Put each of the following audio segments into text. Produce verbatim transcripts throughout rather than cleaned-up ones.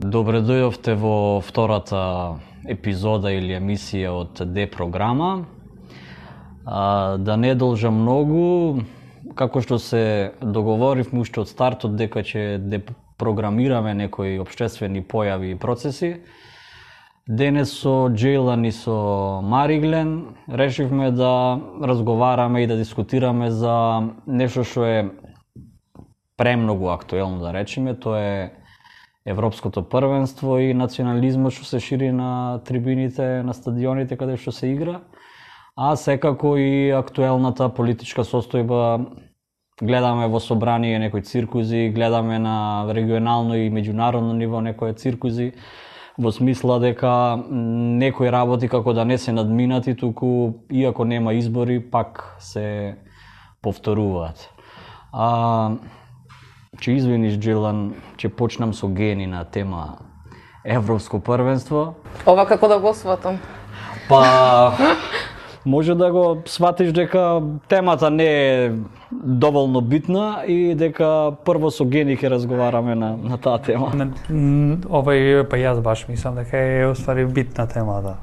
Добре дојдовте во втората епизода или емисија од Д програма. А, да не должам многу, како што се договоривме уште од стартот дека ќе депрограмираме некои општествени појави и процеси, денес со Джейлан и со Мариглен решивме да разговараме и да дискутираме за нешто што е премногу актуелно, да речеме, тоа е Европското првенство и национализмот што се шири на трибините, на стадионите каде што се игра, а секако и актуелната политичка состојба. Гледаме во собрание некои циркузи, гледаме на регионално и меѓународно ниво некои циркузи, во смисла дека некои работи како да не се надминати, туку иако нема избори, пак се повторуваат. А, Че извиниш, Джилан, че почнам со гени на тема Европско првенство. Ова како да го сватам? Па, може да го сватиш дека темата не е доволно битна и дека прво со гени ќе разговараме на, на таа тема. Овај, па јас баш мислам дека е уствари битна тема, да.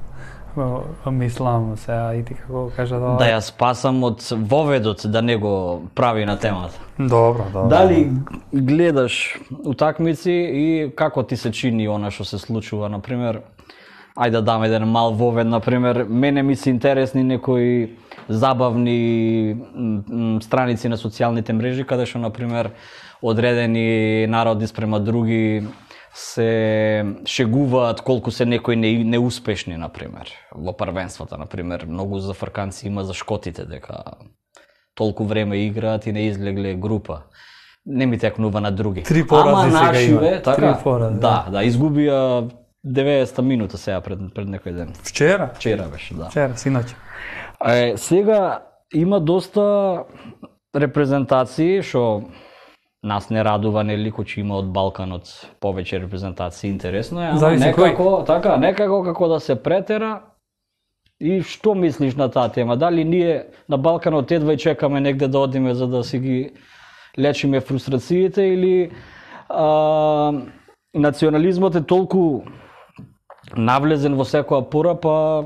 Мислам сега и ти како кажа да... Да ја спасам од воведот да не го прави на темата. Добро, добро. Дали гледаш утакмици и како ти се чини она што се случува, например, ајде да дам еден мал вовед, например, мене ми се интересни некои забавни страници на социјалните мрежи, каде што, например, одредени народи спрема други се шегуваат колку се некои не, неуспешни, например, во првенствата, например, многу зафрканци има за шкотите, дека толку време играат и не излегле група. Не ми текнува на други. Три порази сега нашиве, има. Така? Три порази. Да, да, изгубија деветдесета минута сега пред, пред некој ден. Вчера? Вчера беше, да. Вчера, синоќ. Е, сега има доста репрезентации што нас не радува, нели, кој има од Балканот повеќе репрезентации, интересно е, ама некако, така, некако како да се претера. И што мислиш на таа тема? Дали ние на Балканот едва и чекаме негде да одиме за да си ги лечиме фрустрациите, или а, национализмот е толку навлезен во секоја пора, па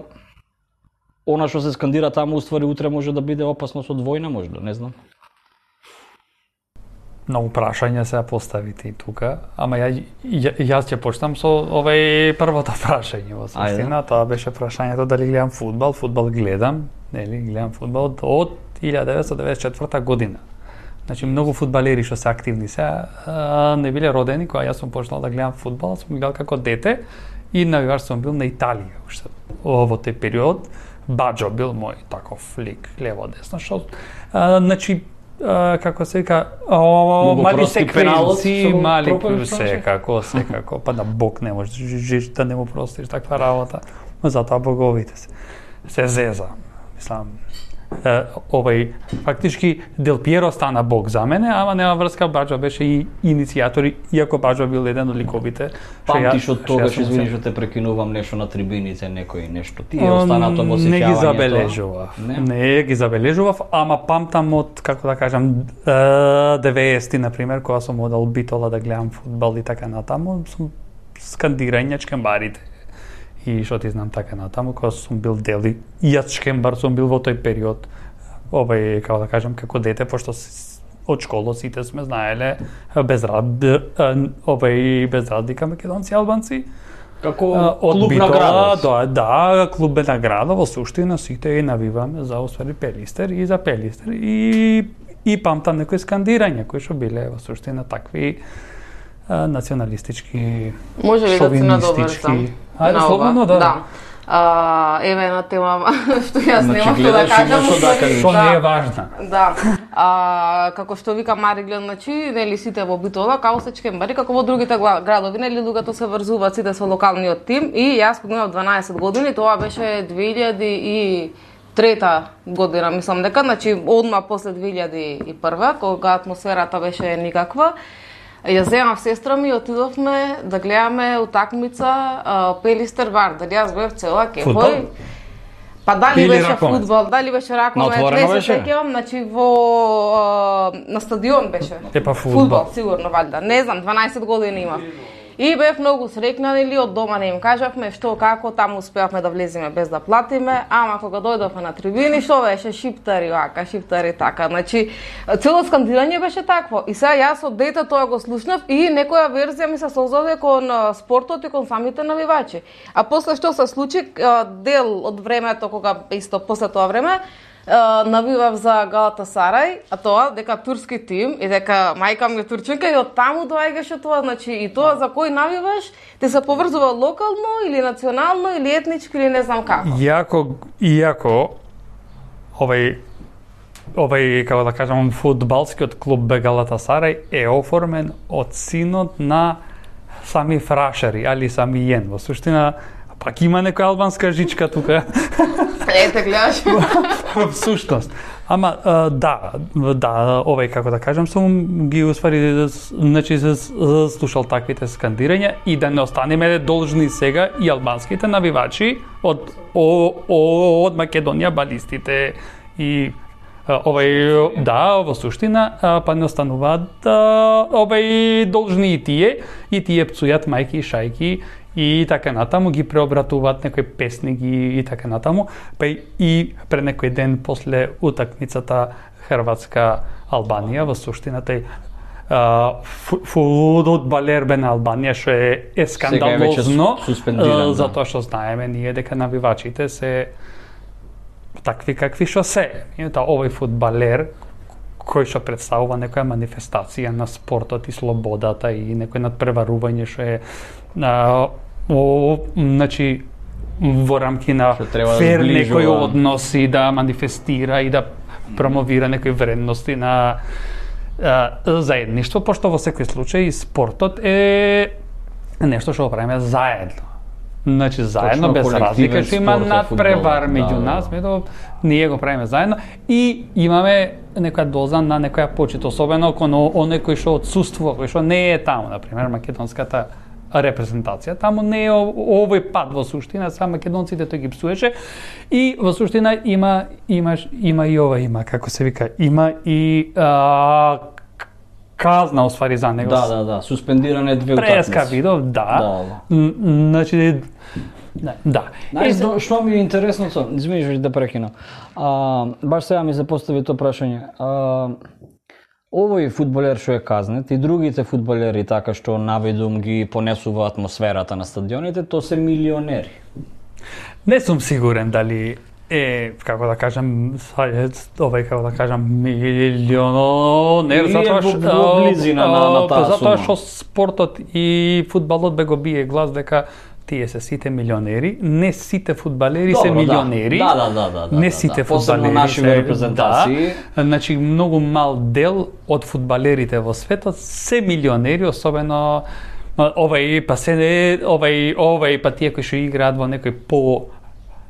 она што се скандира таму уствари утре може да биде опасност од војна, може да, не знам. Многу прашања се поставите и тука, ама ја, ја, јас ќе почнам со овај првото прашање во суштина. Тоа беше прашањето дали гледам фудбал. Фудбал гледам, нели, гледам фудбал од илјада деветстотини деветдесет и четврта година. Значи многу фудбалери што се активни се не биле родени кога јас сум почнал да гледам фудбал, сум гледал како дете и навигаш сум бил на Италија уште во тој период. Баџо бил мој таков лик лево десно, што значи Uh, како се вика, мали секвенци, мали секако, секако, па да Бог не може да не му простиш таква работа, затоа боговите се, се зеза, мислам. Uh, овај, фактички Дел Пиеро стана Бог за мене, ама нема врска, Баџо беше и иницијатор, иако Баџо бил еден од ликовите. Памтиш од тогаш, извини што те прекинувам, нешто на трибините, некој нешто, ти е останато во сеќавањето? Не ги забележував, не? не ги забележував, ама памтам од, како да кажам, деветдесети, например, кога сум одел Битола да гледам фудбал и така натаму, сум скандирање чкембарите. И што ти знам така натаму, кога сум бил дел и јас чкембар сум бил во тој период, овај, како да кажам, како дете, пошто од школа сите сме знаеле без рад, овај без разлика македонци и албанци. Како клуб на градот. Да, да, клуб на градот, во суштина сите и навиваме за освари Пелистер и за Пелистер и и памтам некои скандирања кои што биле во суштина такви националистички, може ли да се надобрзам? Ајде, слободно, да. Да. А, еве една тема што јас значи, немам што да кажам, што не е важна. Да. А, како што вика Мариглен, значи, нели сите во Битола, како се чкембари, како во другите градови, нели луѓето се врзуваат сите со локалниот тим и јас кога имав дванаесет години, тоа беше две илјади и трета година, мислам дека, значи одма после две илјади и прва, кога атмосферата беше никаква. Ја земав сестра ми и отидовме да гледаме утакмица Пелистер Вардар. Јас бев цела кефој. Па дали Или беше ракомет? фудбал, дали беше ракомет, не се сеќавам, значи во на стадион беше. Е па фудбал. Фудбал, сигурно валјда. Не знам, дванаесет години имав. И бев многу среќна, нели, од дома не им кажавме што како, таму успеавме да влеземе без да платиме, ама кога дојдовме на трибини, што беше шиптари вака, шиптари така. Значи, цело скандирање беше такво. И сега јас од дете тоа го слушнав и некоја верзија ми се создаде кон спортот и кон самите навивачи. А после што се случи, дел од времето кога исто после тоа време навивав за Галатасарај, а тоа дека турски тим и дека мајка ми е турчинка и од таму доаѓаше тоа, значи и тоа за кој навиваш, те се поврзува локално или национално или етнички или не знам како. Иако иако овај овај како да кажам фудбалскиот клуб Галатасарај е оформен од синот на сами фрашари, али сами јен. Во суштина пак има некоја албанска жичка тука. Ете, гледаш. Во сушност. Ама да, да, овај како да кажам, сум ги успари, значи слушал таквите скандирања и да не останеме должни сега и албанските навивачи од од Македонија, балистите и овај да, во суштина па не остануваат овај должни и тие и тие пцујат мајки и шајки и така натаму ги преобратуваат некои песни ги и така натаму, па и пред некој ден после утакмицата Хрватска Албанија во суштина тај фудбалер бе на Албанија што е, е скандалозно затоа што знаеме ние дека навивачите се такви какви што се. Та овој фудбалер кој што представува некоја манифестација на спортот и слободата и некој надпреварување што е а, о, значи во рамки на фер да некој односи да манифестира и да промовира некои вредности на а, заедништво, пошто во секој случај спортот е нешто што го правиме заедно. Значи заедно точно, без разлика што има надпревар меѓу да, нас, меѓу ние го правиме заедно и имаме некоја доза на некоја почит, особено кон оној кој што отсуствува, кој што не е таму, на пример македонската репрезентација. Таму не е овој пат во суштина, са македонците тој ги псуеше и во суштина има имаш има и ова има како се вика, има и а, казна освари за него. Да, да, да, суспендиране две утакмици. Преска видов, да. да. Значи да. да. Знаеш што ми е интересно, извини да прекинам. А, баш сега ми се постави тоа прашање. А, овој фудбалер што е казнет и другите фудбалери така што наведум ги понесува атмосферата на стадионите, тоа се милионери. Не сум сигурен дали е, како да кажам, овај, како да кажам, милионер, затоа што близина на, на таа сума. Затоа што спортот и фудбалот бе го бие глас дека тие се сите милионери, не сите фудбалери Добро, се милионери. Да, да, да, да, да. Не сите да, фудбалери наши се репрезентации. Да, значи многу мал дел од фудбалерите во светот се милионери, особено овај па се овај овај па тие кои што играат во некој по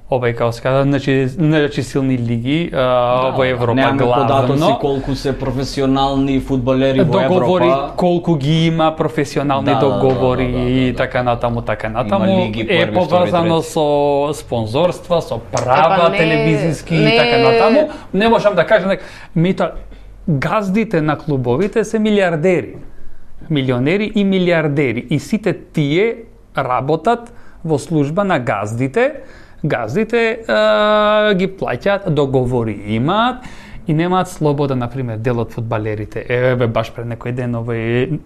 овај како се кажа, значи, значи силни лиги а, да, во Европа главно. Немаме податоци колку се професионални фудбалери во договори, Европа. Колку ги има професионални да, договори да, да, да, да, и така натаму, така натаму. Лиги, е поврзано со спонзорства, со права, не, телевизиски не... и така натаму. Не можам да кажам дека мета газдите на клубовите се милиардери. Милионери и милиардери. И сите тие работат во служба на газдите. Газдите е, ги плаќаат, договори имаат и немаат слобода, например, дел од фудбалерите. Еве баш пред некој ден овој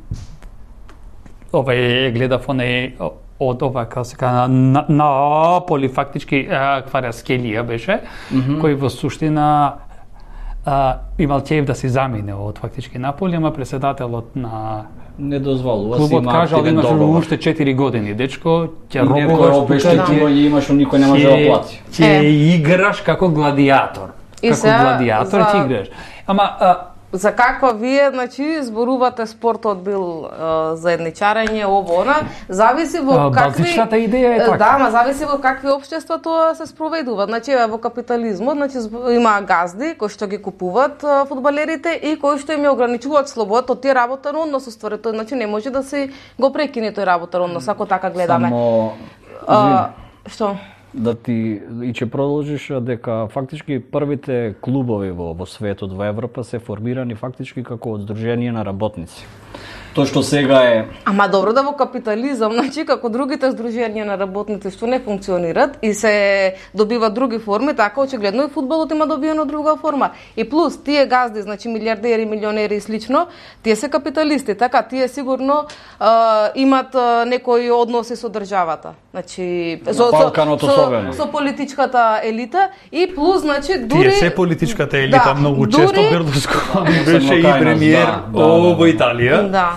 овој гледав оној од ова како се кажа на, Наполи фактички Кварацкелија беше, mm -hmm. кој во суштина а, имал чеев да се замине од фактички Наполи, ама председателот на не дозволува си има кажал имаш уште четири години, дечко, ќе робуваш, ќе имаш, никој не може да плати. Ќе играш како гладиатор. Како гладиатор ќе играш. Ама за каква вие, значи, зборувате спортот бил е, заедничарење, ово, она, зависи во какви... Базичната идеја е така. Да, ма зависи во какви општества тоа се спроведува. Значи, во капитализмот, значи, има газди кои што ги купуваат фудбалерите и кои што им ја ограничуваат слободата од тие работен однос, уствари, тој, значи, не може да се го прекине тој работен однос, ако така гледаме. Само... А, што? Да ти и ќе продолжиш дека фактички првите клубови во, во светот, во Европа се формирани фактички како од здружение на работници. Тоа што сега е... Ама добро да во капитализам, значи како другите здружувања на работници што не функционираат и се добиваат други форми, така очигледно и фудбалот има добиено друга форма. И плюс тие газди, значи милиардери, милионери и слично, тие се капиталисти, така тие сигурно а, имат а, некои односи со државата. Значи со Балканот со, со политичката елита и плюс значи дури тие се политичката елита, да, многу често дури... Берлускони беше и премиер да, да, во да. Италија. Да.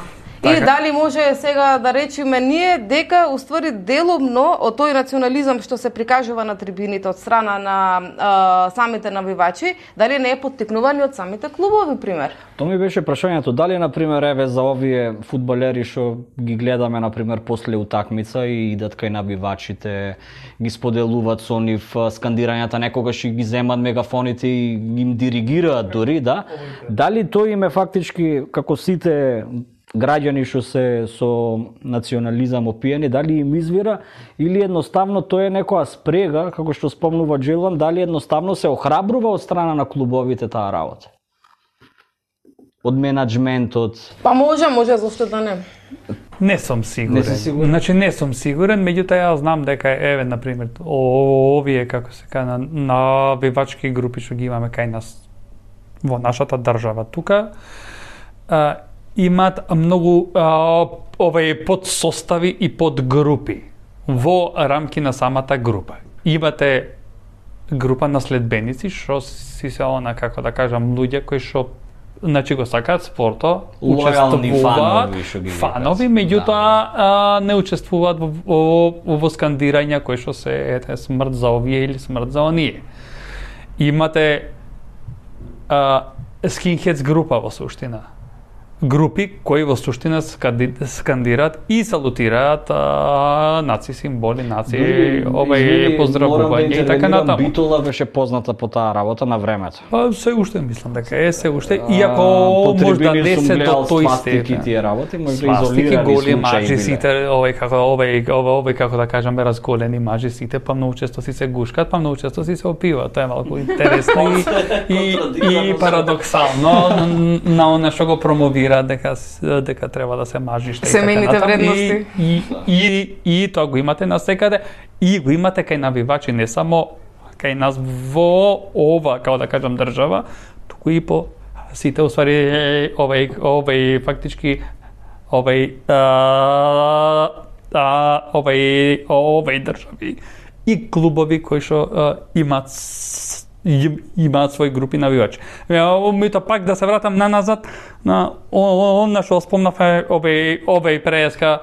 И дали може сега да речеме ние дека уствари делумно од тој национализам што се прикажува на трибините од страна на а, самите навивачи, дали не е поттикнувани од самите клубови, пример? Тоа ми беше прашањето, дали на пример еве за овие фудбалери што ги гледаме на пример после утакмица и идат кај навивачите, ги споделуваат со нив скандирањата, некогаш и ги земат мегафоните и им диригираат дури, да? Дали тој им е фактички како сите граѓани што се со национализам опиени, дали им извира или едноставно тоа е некоја спрега, како што спомнува Джилан, дали едноставно се охрабрува од страна на клубовите таа работа? Од менаџментот? Па може, може, зашто да не. Не сум сигурен. Не си сигурен? Значи не сум сигурен, меѓутоа ја знам дека еве на пример овие како се кажа навивачки групи што ги имаме кај нас во нашата држава тука, а, имаат многу а, овај подсостави и подгрупи во рамки на самата група. Имате група на следбеници што си се она како да кажам луѓе кои што значи го сакаат спорто, учествуваат фанови, фанови меѓутоа да. не учествуваат во, во, во скандирања кои што се ете смрт за овие или смрт за оние. Имате а, скинхедс група во суштина. Групи кои во суштина скандираат и салутираат а, наци символи, наци овај поздравување и така натаму. Битола беше позната по таа работа на времето. Па се уште мислам дека е се уште, иако можда не се до тој степен. Тие работи можда изолирани големи случаи. мажи сите, овај како овај овај како да кажеме разголени мажи сите, па многу често си се гушкат, па многу често си се опиваат. Тоа е малку интересно и и парадоксално на она што го промовира дека дека треба да се мажиш така. Семејните вредности. И и и, и тоа го имате насекаде и го имате кај навивачи, не само кај нас во ова, како да кажам, држава, туку и по сите уствари овај овај фактички овај а, а, овај овај држави и клубови кои што имаат имаат своји групи навивачи. Мито пак да се вратам на назад на она што спомнавме овај овај преска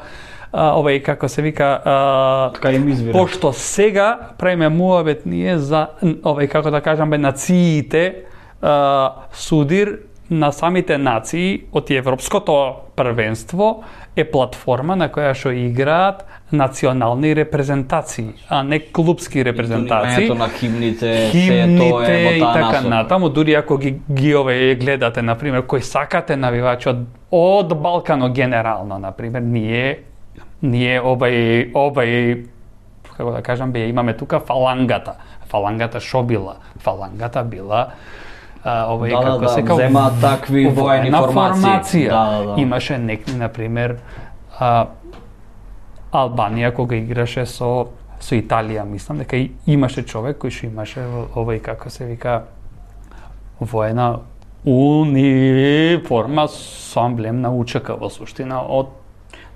овај како се вика така им извира. Пошто сега правиме муабет ние за овај како да кажам бе нациите судир на самите нации од Европското првенство е платформа на која што играат национални репрезентации, а не клубски репрезентации. Интонирањето на химните, химните се тоа е во и таа така насока. натаму, дури ако ги, ги ове гледате, например, кои сакате навивачи од, од Балкано генерално, например, ние ние овај овај како да кажам, бе имаме тука фалангата. Фалангата шо била? Фалангата била а, овај да, како да, се да, земаат такви воени формации. Да, да, да. Имаше некни, например, а, Албанија кога играше со со Италија, мислам дека и, имаше човек кој што имаше овај како се вика воена униформа со амблем на УЧК во суштина од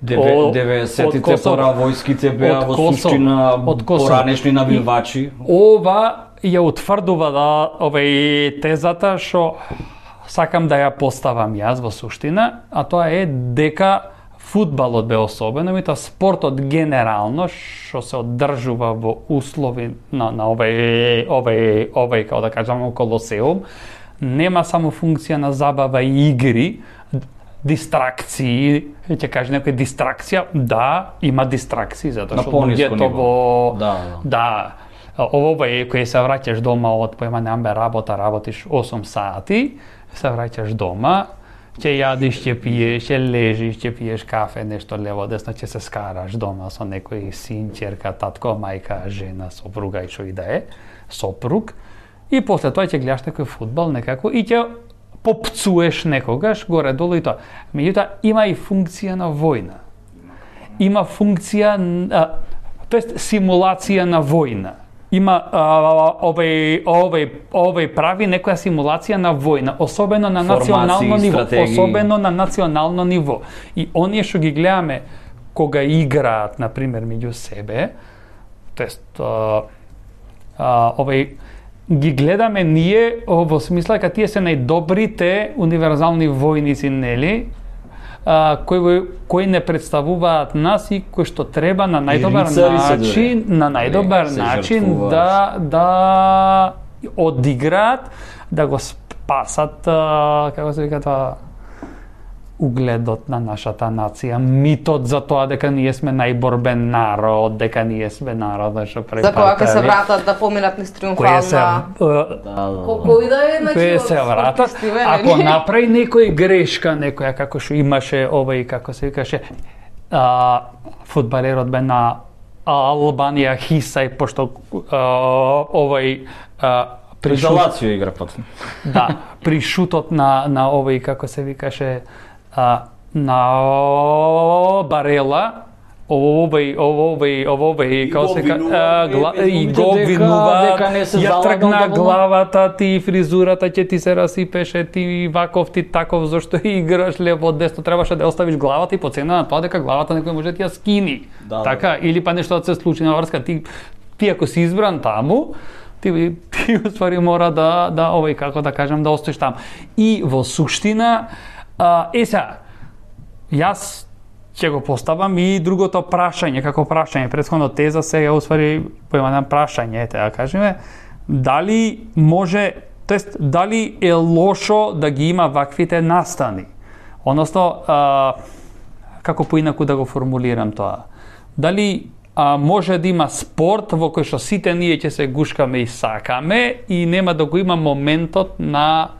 деветдесетите паравојските беа во суштина поранешни навивачи. Ова ја утврдува да овај тезата што сакам да ја поставам јас во суштина, а тоа е дека фудбалот бе особено, меѓутоа спортот генерално што се одржува во услови на на овај овај овај како да кажам колосеум, нема само функција на забава и игри, дистракции, ќе каже некој дистракција, да, има дистракции затоа што луѓето во да, да овој кој се враќаш дома од поема немаме работа, работиш осум сати, се враќаш дома, ќе јадиш, ќе пиеш, ќе лежиш, ќе пиеш кафе, нешто лево десно, ќе се скараш дома со некој син, ќерка, татко, мајка, жена, сопруга и што и да е, сопруг. И после тоа ќе гледаш некој фудбал некако и ќе попцуеш некогаш, горе-долу и тоа. Меѓутоа, има и функција на војна. Има функција, тоест симулација на војна. Има овој овој овој прави некоја симулација на војна, особено на национално ниво, особено на национално ниво. И оние што ги гледаме кога играат, на пример, меѓу себе, тоест овој ги гледаме ние во смисла дека тие се најдобрите универзални војници, нели? А, кои, кои не представуваат нас и кои што треба на најдобар начин, на најдобар начин да да одиграат, да го спасат, а, како се вика тоа, угледот на нашата нација, митот за тоа дека ние сме најборбен народ, дека ние сме народот што препатави. За кога ќе се вратат да поминат низ триумфална. Колку и да е, значи, се вратат, ако направи некој грешка, некоја како што имаше овој, како се викаше, а, фудбалерот бе на Албанија Хисај, пошто а, овој а, при Лацио игра потом. Да, при шутот на на овој, како се викаше, а, на Барела, овој, овој, овој, како се ка, и го винува, ја тргна главата ти, фризурата ќе ти се расипеше, ти ваков, ти таков, зашто играш лево, десно, требаше да оставиш главата и по цена на тоа дека главата некој може да ти ја скини. Да, така, да. Или па нешто да се случи на врска, ти, ти ако си избран таму, ти, ти уствари мора да, да, овој, како да кажам, да остоиш таму. И во суштина, а, е сега, јас ќе го поставам и другото прашање, како прашање, претходно теза, сега уствари поемам прашање, ете, да кажеме, дали може, тоест, дали е лошо да ги има ваквите настани? Односно, а, како поинаку да го формулирам тоа? Дали а, може да има спорт во кој што сите ние ќе се гушкаме и сакаме и нема да го има моментот на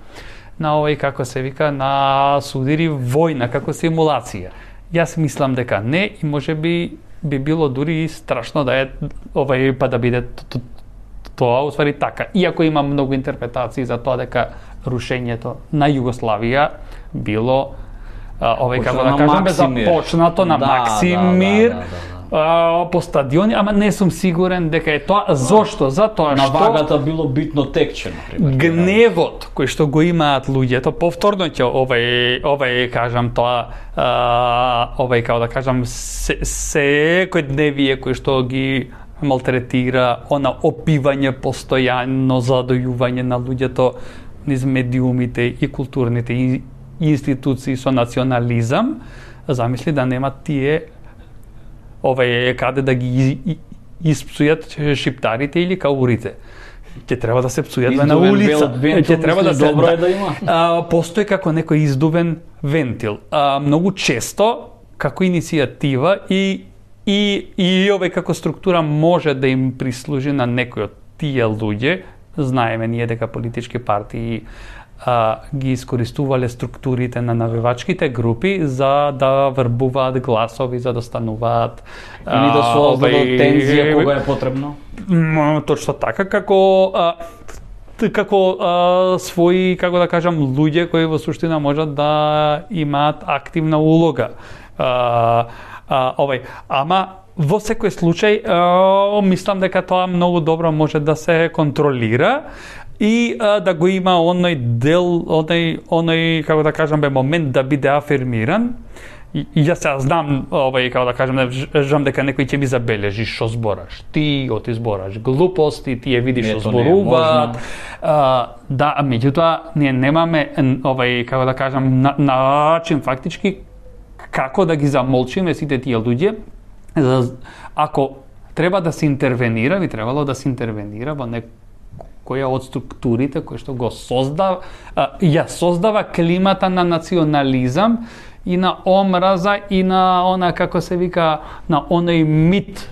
на овој, како се вика, на судири војна, како симулација. Јас мислам дека не и може би би било дури и страшно да е овој па да биде тоа уствари така. Иако има многу интерпретации за тоа дека рушењето на Југославија било овој, како да кажеме, започнато на Максимир, по стадиони, ама не сум сигурен дека е тоа. Зошто? Затоа што на вагата било битно текче, например. Гневот кој што го имаат луѓето, повторно ќе овај овај кажам тоа, а, овај како да кажам се, секојдневие кој што ги малтретира, она опивање постојано, задојување на луѓето низ медиумите и културните институции со национализам, замисли да нема тие овај каде да ги испсујат шиптарите или каурите. Ќе треба да се псујат на улица. Ќе треба да се добро е да има. А, постои како некој издувен вентил. А, многу често како иницијатива и и и овој како структура може да им прислужи на некој од тие луѓе. Знаеме ние дека политички партии а, ги искористувале структурите на навивачките групи за да врбуваат гласови, за да стануваат или да создадат тензија кога е потребно. Точно така, како а, како а, своји, како да кажам, луѓе кои во суштина можат да имаат активна улога. А, а, овој, ама во секој случај а, мислам дека тоа многу добро може да се контролира и а, да го има оној дел, оној, оној, како да кажам, бе момент да биде афирмиран. И, и јас сега знам, овај, како да кажам, жам дека некој ќе ми забележи што збораш. Ти оти збораш глупости, тие видиш што зборуваат. Да, меѓутоа ние немаме овај, како да кажам, на, начин фактички како да ги замолчиме сите тие луѓе. Ако треба да се интервенира, би требало да се интервенира во некоја од структурите кои што го создава, ја создава климата на национализам и на омраза и на она, како се вика, на оној мит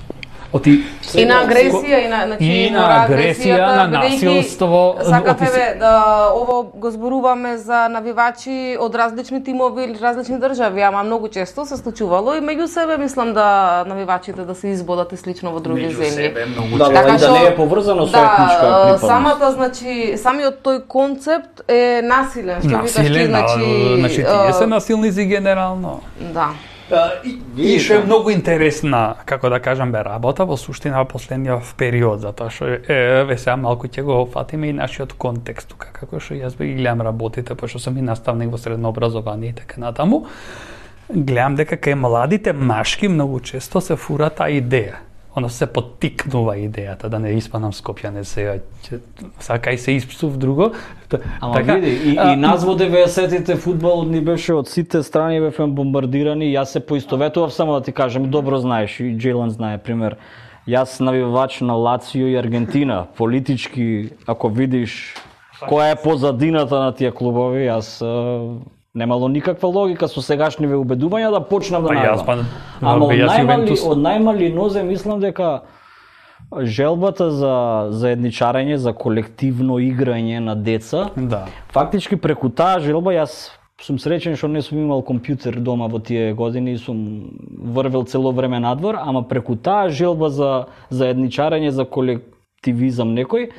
Оти и на агресија и на значи и на агресија, на насилство. Сакав еве да ово го зборуваме за навивачи од различни тимови или различни држави, ама многу често се случувало и меѓу себе мислам да навивачите да се избодат и слично во други земји. Меѓу себе многу да, често. Да, да не е поврзано со етничка припадност. Самата значи самиот тој концепт е насилен, што викаш ти, значи значи тие се насилници генерално. Да. Uh, и, и што е многу интересна, како да кажам, бе работа во суштина во последниот период, затоа што е, ве сега малку ќе го фатиме и нашиот контекст тука, како што јас бе ги гледам работите, пошто сум и наставник во средно образование и така натаму, гледам дека кај младите машки многу често се фура таа идеја. Оно се поттикнува идејата да не испадам Скопјане сега, сака и се испсув друго. Ама така, види, и, а, и нас во деветдесетите фудбалот ни беше од сите страни бевме бомбардирани, јас се поистоветував, само да ти кажам, добро знаеш, и Джейлан знае, пример. Јас навивач на Лацио и Аргентина, политички, ако видиш која е позадината на тие клубови, јас немало никаква логика со сегашниве убедувања да почнам да навивам. Ама од најмали, од најмали нозе мислам дека желбата за заедничарење, за колективно играње на деца, да. Фактички преку таа желба јас сум среќен што не сум имал компјутер дома во тие години и сум врвел цело време надвор, ама преку таа желба за заедничарење, за колективизам некој,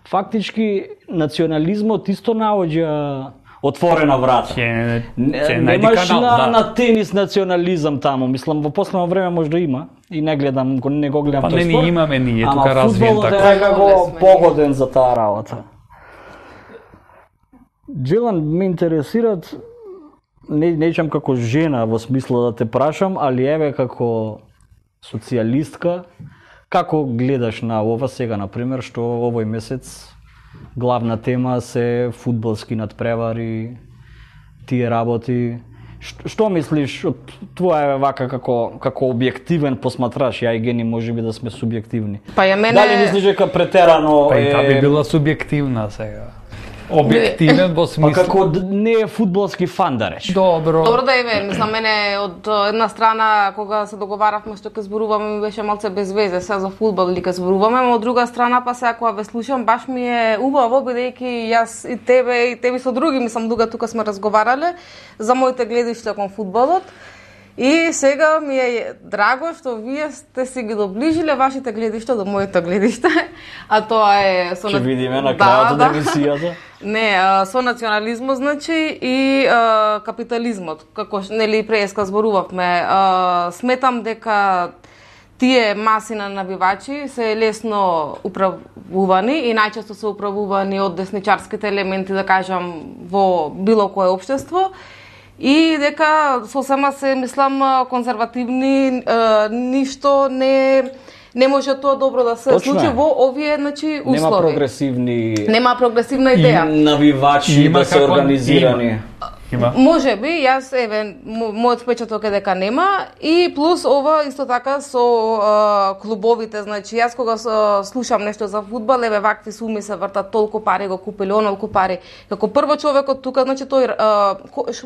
фактички национализмот исто наоѓа отворена врата. Ќе, ќе немаш канал, на, да. на тенис национализам таму. Мислам, во последно време може да има. И не гледам, не го гледам па, тој спорт. спорт. Не, имаме ние, ама тука развиен така. Ама фудбалот е како погоден за таа работа. Джилан, ме интересират, не, нечам како жена во смисло да те прашам, али еве како социјалистка, како гледаш на ова сега, например, што овој месец главна тема се фудбалски надпревари, тие работи. Што, што мислиш од твоја вака како како објективен посматраш, ја и Гени можеби да сме субјективни. Па ја мене Дали мислиш дека претерано па и таа е би била субјективна сега. Објективен во смисло. Па како не е фудбалски фан да рече. Добро. Добро да е, мислам, мене од една страна кога се договаравме што ќе зборуваме ми беше малце без везе сега за фудбал или ќе зборуваме, но од друга страна па сега кога ве слушам баш ми е убаво бидејќи јас и тебе и тебе со други, мислам, дуга тука сме разговарале за моите гледишта кон фудбалот. И сега ми е драго што вие сте си ги доближиле вашите гледишта до моето гледиште, а тоа е со Ќе видиме на крајот од емисијата. Не, со национализмот значи и а, капитализмот, како нели преска зборувавме. А, сметам дека тие маси на навивачи се лесно управувани и најчесто се управувани од десничарските елементи, да кажам, во било кое општество. И дека сосема се, мислам, конзервативни, а, ништо не не може тоа добро да се случи во овие, значи, услови. Нема прогресивни Нема прогресивна идеја. И навивачи има да се организирани. Има. Има. Може би, јас еве мојот впечаток е дека нема и плюс ова исто така со а, клубовите, значи јас кога со, слушам нешто за фудбал, еве вакви суми се вртат, толку пари го купили, онолку пари. Како прво човекот тука, значи тој а,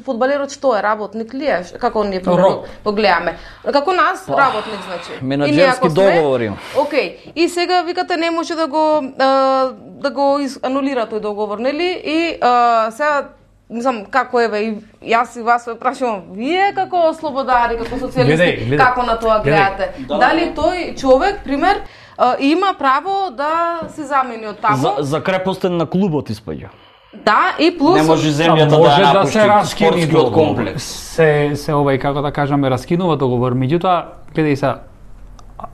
фудбалерот што е работник ли е? Како ние го гледаме? Како нас работник значи. Менаџерски договори. Океј. И сега викате не може да го а, да го анулира тој договор, нели? И а, сега мислам, како еве, и јас и вас ве прашувам, вие како слободари, како социјалисти, како на тоа гледате? Да, дали тој човек, пример, има право да се замени од таму? За, за крепостен на клубот испаѓа. Да, и плюс не може земјата може да, да се раскини комплекс. Се се овај како да кажаме раскинува договор, меѓутоа гледај се,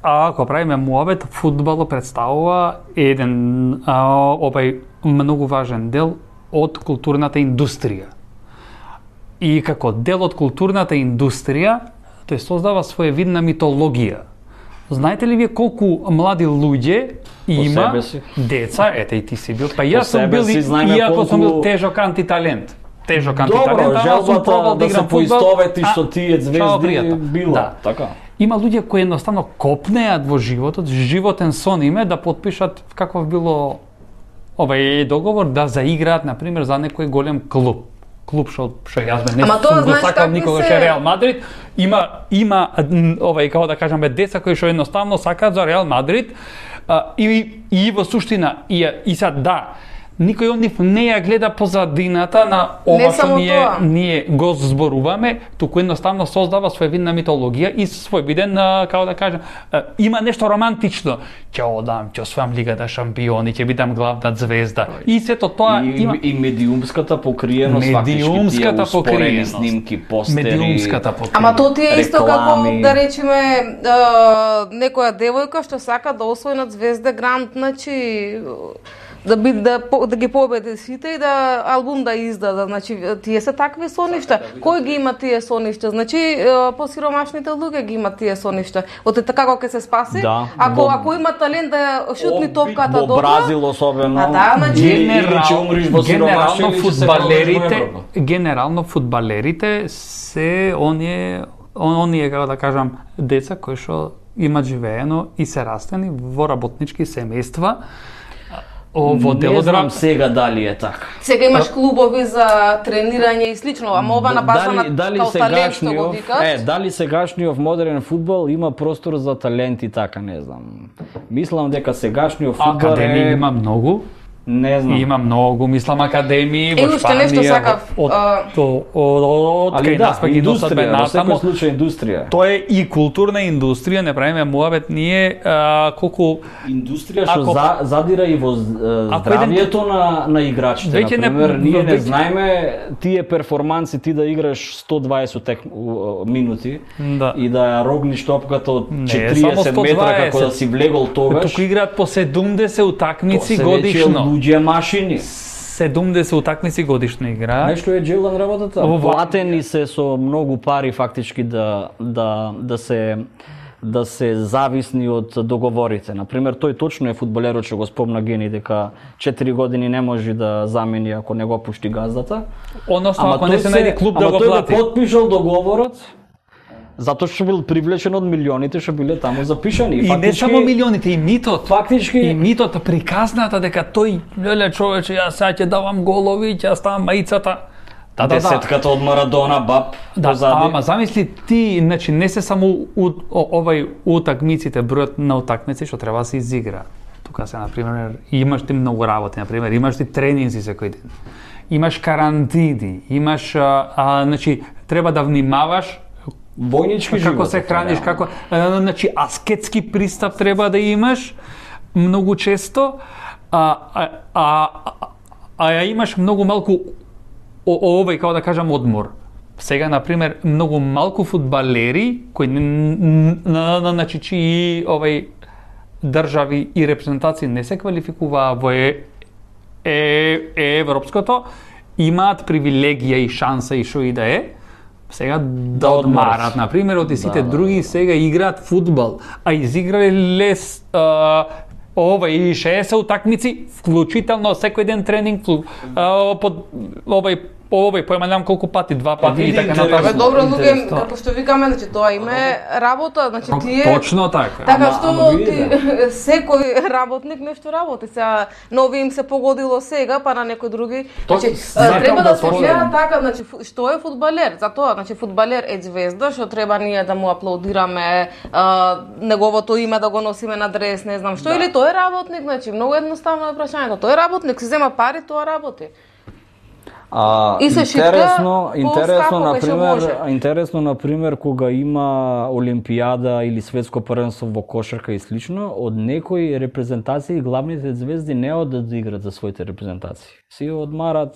а ако правиме муабет, фудбалот представува еден а, овај многу важен дел од културната индустрија. И како дел од културната индустрија, тој создава своевидна митологија. Знаете ли вие колку млади луѓе има деца, ете и ти си бил, па јас сум бил, иако колку... сум бил тежок антиталент. Тежок антиталент, ама сум пробал да играм фудбал. Добро, желбата да се поистовети што тие звезди била. Да. Така. Има луѓе кои едноставно копнеат во животот, животен сон им е да потпишат каков било овај договор да заиграат, например, за некој голем клуб. клуб што што јас бе не Ама тоа, сум го знаеш, сакал такви никогаш се- е Реал Мадрид. Има има овај како да кажеме деца кои што едноставно сакаат за Реал Мадрид а, и и во суштина и и сад да никој од нив не ја гледа позадината на ова Не што само ние тоа. ние го зборуваме, туку едноставно создава своевидна митологија и своевиден а, како да кажам а, има нешто романтично. Ќе одам, ќе освојам Лигата шампиони, ќе бидам главна звезда. И сето тоа и, има и медиумската покриеност, медиумската фактички тие успорени покриеност. снимки, постери. медиумската покриеност. Ама тоа ти е исто реклами. како да речеме а, некоја девојка што сака да освои на Звезда Гранд, значи да би да по- да ги победи сите и да албум да издаде, значи тие се такви соништа. Кој ги има тие соништа? Значи е, посиромашните луѓе ги имаат тие соништа. Од така како ќе се спаси, Да, ако во- ако има талент да ја шутни топката Во добро. Бразил особено. А да, значи- или, или ќе умриш во сиромаштво, генерално или ќе се пробудиш во фудбалерите, Европа. генерално фудбалерите се оние он- оние како да кажам деца кои што имаат живеено и се растени во работнички семејства. О, во Не делот знам сега дали е така. Сега имаш клубови за тренирање и слично, ама ова на база на дали као талент што го сегашниот, викаш. е, дали сегашниот модерен фудбал има простор за талент и така, не знам. Мислам дека сегашниот фудбал академии е има многу. не знам. Има многу, мислам, академии во Е, уште Шпанија. нешто сакав, Од, а- од, од, од, Али кај да, нас пак и до сад бе индустрија, во секој натаму. случај индустрија. Тоа е и културна индустрија, не правиме муабет ние а, колку Индустрија што Ако- за, задира и во з- Ако здравјето на на играчите. Веќе не- Например, ние не веќе- знаеме тие перформанси ти да играш сто дваесет тек, у- минути Да. и да ја рогниш топката од Не, четириесет само метра сто дваесет. како да си влегол тогаш. туку играат по седумдесет утакмици се годишно. веќе луѓе машини. седумдесет утакмици годишно играат. Нешто е джелан работата. Во- Платени се со многу пари фактички да да да се да се зависни од договорите. Например, тој точно е фудбалерот што го спомна Гени дека четири години не може да замени ако не го пушти газдата. Односно, ако тој не се најде клуб да ама го тој плати. го потпишал договорот затоа што бил привлечен од милионите што биле таму запишани. И не само милионите, и митот. Фактички И митот, приказната дека тој, леле човече, јас сега ќе давам голови, ќе ја ставам маицата. Да, да, да. десетката од Марадона, баб, Да, позади. ама замисли ти, значи не се само у, о, овај утакмиците, бројот на утакмици што треба да се изигра. Тука се, например, имаш ти многу работи, например, имаш ти тренинзи секој ден. Имаш карантини, имаш, а, а, значи, треба да внимаваш Војнички како живот. се храниш, како, а, значи, аскетски пристап треба да имаш многу често, а, а, а, а, а ја имаш многу малку о- о- овој, како да кажам, одмор. Сега, например, многу малку фудбалери кои н- н- н- н- значи чии овај држави и репрезентации не се квалификуваа во е, е, е европското, имаат привилегија и шанса и што и да е, сега да одморат. одмарат. Например, од сите Да, да, други сега играат фудбал, а изиграле лес а, ова и шеесет утакмици, вклучително секој ден тренинг, вклу- а, под овај овој појма немам колку пати, два пати и види, така интересно. Абе, натаму. добро, луѓе, Интересно. како што викаме, значи тоа име работа, значи тие Точно така. Така Ама- што ама види, ти, секој работник нешто работи. Сега нови им се погодило сега, па на некои други. То- Значи, сакам треба да да се спомнам. гледа така, значи фу- што е фудбалер? Затоа, значи фудбалер е звезда, што треба ние да му аплаудираме, а, неговото име да го носиме на дрес, не знам што, или тој е работник, значи многу едноставно е прашањето. Тој е работник, се зема пари, тоа работи. А, И се шитка интересно, интересно по-скапо кај што например, може. интересно например кога има олимпијада или светско првенство во кошарка и слично, од некои репрезентации главните звезди не одат да играат за своите репрезентации. Си одмарат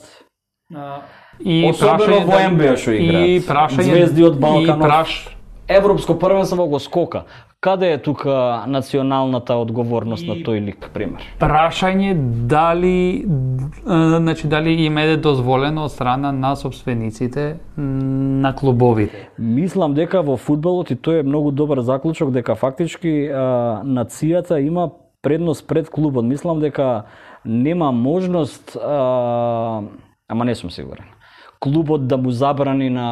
И особено прашање во дали- Н Б А што играат. И прашање Звезди од Балканот. И праш Европско првенство го скока. Каде е тука националната одговорност И- на тој лик, пример? прашање дали а, значи дали им е дозволено од страна на собствениците на клубовите. Мислам дека во фудбалот и тој е многу добар заклучок дека фактички а, нацијата има предност пред клубот. Мислам дека нема можност, а, ама не сум сигурен, клубот да му забрани на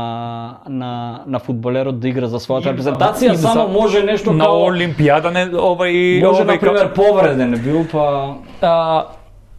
на на фудбалерот да игра за својата репрезентација, Им за- само може нешто на као Олимпијада не овај може овај на пример повреден бил па а,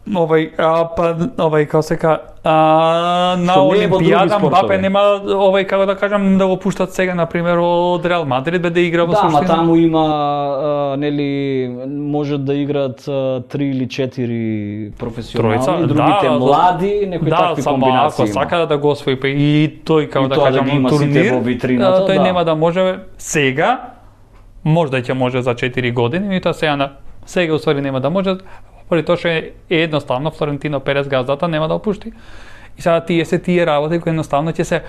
овај а, па овај како се ка а, на Олимпијада Мбапе нема овај како да кажам да го пуштат сега на пример од Реал Мадрид бе да игра во суштина. Да, ма таму има а, нели можат да играат а, три или четири професионални, Тројца, другите да, млади, некои да, такви комбинации. Да, ако сака да го освои па и тој како и да кажам да турнир, во витрината, тој да. нема да може сега, можда ќе може за четири години, и тоа сега на сега усвари нема да може. Поради тоа што е едноставно Флорентино Перес газдата нема да опушти. И сега тие се тие работи кои едноставно ќе се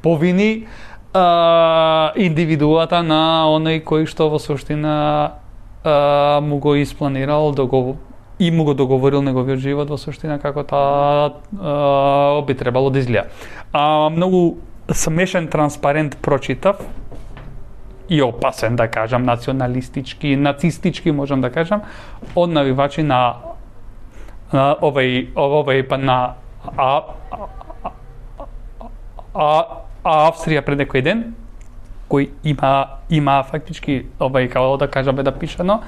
повини а, индивидуата на оној кој што во суштина а, му го испланирал договор и му го договорил неговиот живот во суштина како таа би требало да изгледа. А, многу смешен транспарент прочитав и опасен, да кажам, националистички, нацистички, можам да кажам, од навивачи на, на овој, овој, па на а, а, а, а, Австрија пред некој ден, кој има, има фактички, овој, како да кажаме да пишано,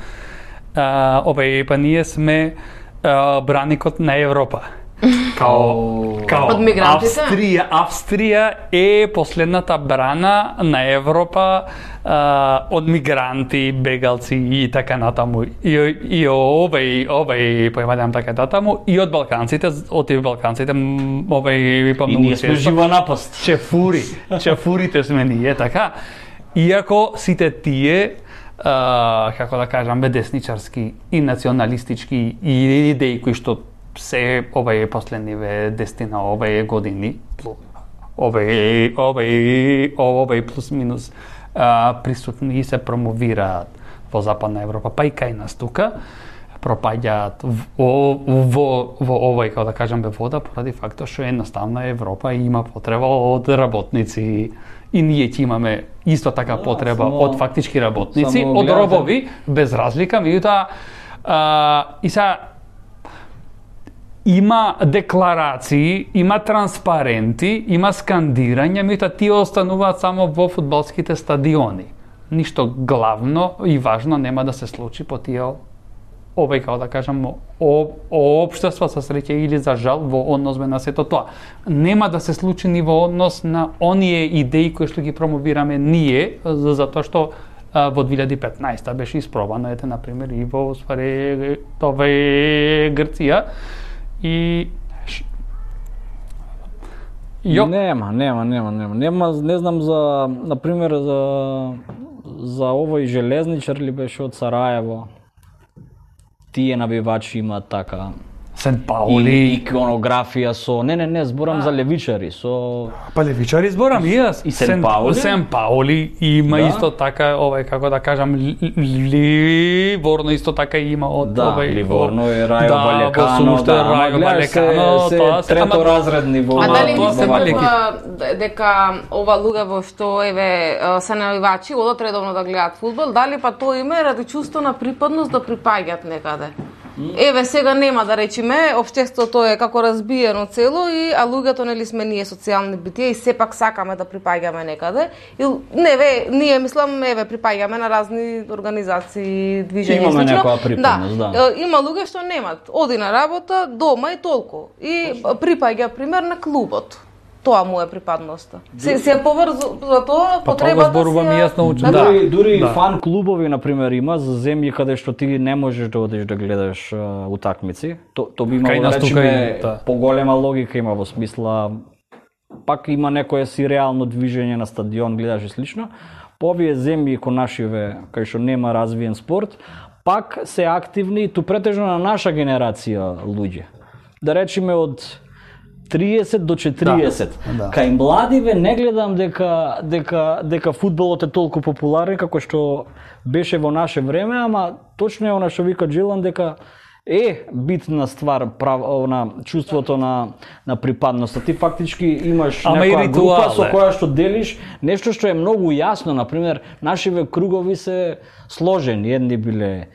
а, овој, па ние сме а, браникот на Европа. Као, као од мигрантите? Австрија, Австрија е последната брана на Европа а, од мигранти, бегалци и така натаму. И, и овој, овој, појмадам така натаму, и од балканците, од и балканците, овој, па многу и ние сме жива напаст. Чефури, чефурите сме ние, така. Иако сите тие, а, како да кажам, десничарски и националистички и идеи кои што се овај последниве десетина овај години, овај овај овај плюс минус а, присутни и се промовираат во Западна Европа, па и кај нас тука пропаѓаат во во во овај, како да кажам, бе вода поради фактот што едноставно Европа има потреба од работници и ние ќе имаме исто така потреба да, само, од фактички работници, од робови без разлика, меѓутоа и сега има декларации, има транспаренти, има скандирање, меѓутоа тие остануваат само во фудбалските стадиони. Ништо главно и важно нема да се случи по тие овој, како да кажам, општество со среќа или за жал во однос на сето тоа. Нема да се случи ни во однос на оние идеи кои што ги промовираме ние, затоа што во две илјади и петнаесета беше испробано, ете, например, и во ствари тоа е Грција. И Јо. Нема, нема, нема, нема. Нема, не знам за, например, за за овој железничар ли беше од Сараево. Тие навивачи имаат така Сент Паули, и иконографија со не не не зборам а. за левичари, со па левичари зборам и јас. И Сент Паули. Сент Паули има да. Исто така овој, како да кажам, Ливорно исто така има од да, овој Ливорно е Рајо Валекано, да, Рајо Валекано, тоа се трето-разредни во. А дали не се мислува дека ова луѓе што еве се навивачи одат редовно да гледаат фудбал, дали па тоа име ради чувство на припадност да припаѓаат некаде? Еве сега нема да речеме, општеството е како разбиено цело и а луѓето нели сме ние социјални битија и сепак сакаме да припаѓаме некаде. И не ве, ние мислам еве припаѓаме на разни организации, движења. Имаме некоја припадност, да. да. Има луѓе што немат, оди на работа, дома и толку. И припаѓа пример на клубот. Тоа му е припадноста. Се се поврзу за тоа потребата па тоа си. Јасно учи. Да, дури, дури да. Фан клубови на пример има за земји каде што ти не можеш да одиш да гледаш uh, утакмици. То то би имало да речеме да. Поголема логика има во смисла пак има некое си реално движење на стадион, гледаш и слично. По овие земји ко нашиве кај што нема развиен спорт, пак се активни ту претежно на наша генерација луѓе. Да речеме од триесет до четириесет. Да, да. Кај младиве не гледам дека дека дека фудбалот е толку популарен како што беше во наше време, ама точно е она што вика Джилан дека е битна ствар прав на чувството на на припадност. Ти фактички имаш ама некоја група со која што делиш нешто што е многу јасно, на пример, нашиве кругови се сложени, едни биле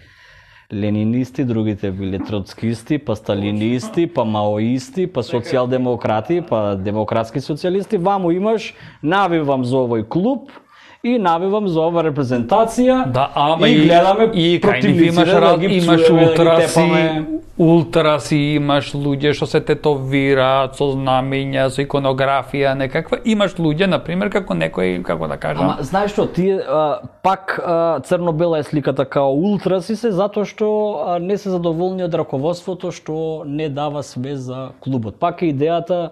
ленинисти, другите биле троцкисти, па сталинисти, па маоисти, па социјалдемократи, па демократски социјалисти. Ваму имаш, навивам за овој клуб и навивам за ова репрезентација. Да, ама и гледаме и противниците имаш да ги имаш псуваме, ултраси, да ги тепаме. ултраси, имаш луѓе што се тетовираат со знамења, со иконографија, некаква. Имаш луѓе, на пример, како некој, како да кажам. Ама знаеш што, тие а, пак а, црно-бела е сликата као ултраси се затоа што а, не се задоволни од раководството што не дава све за клубот. Пак е идејата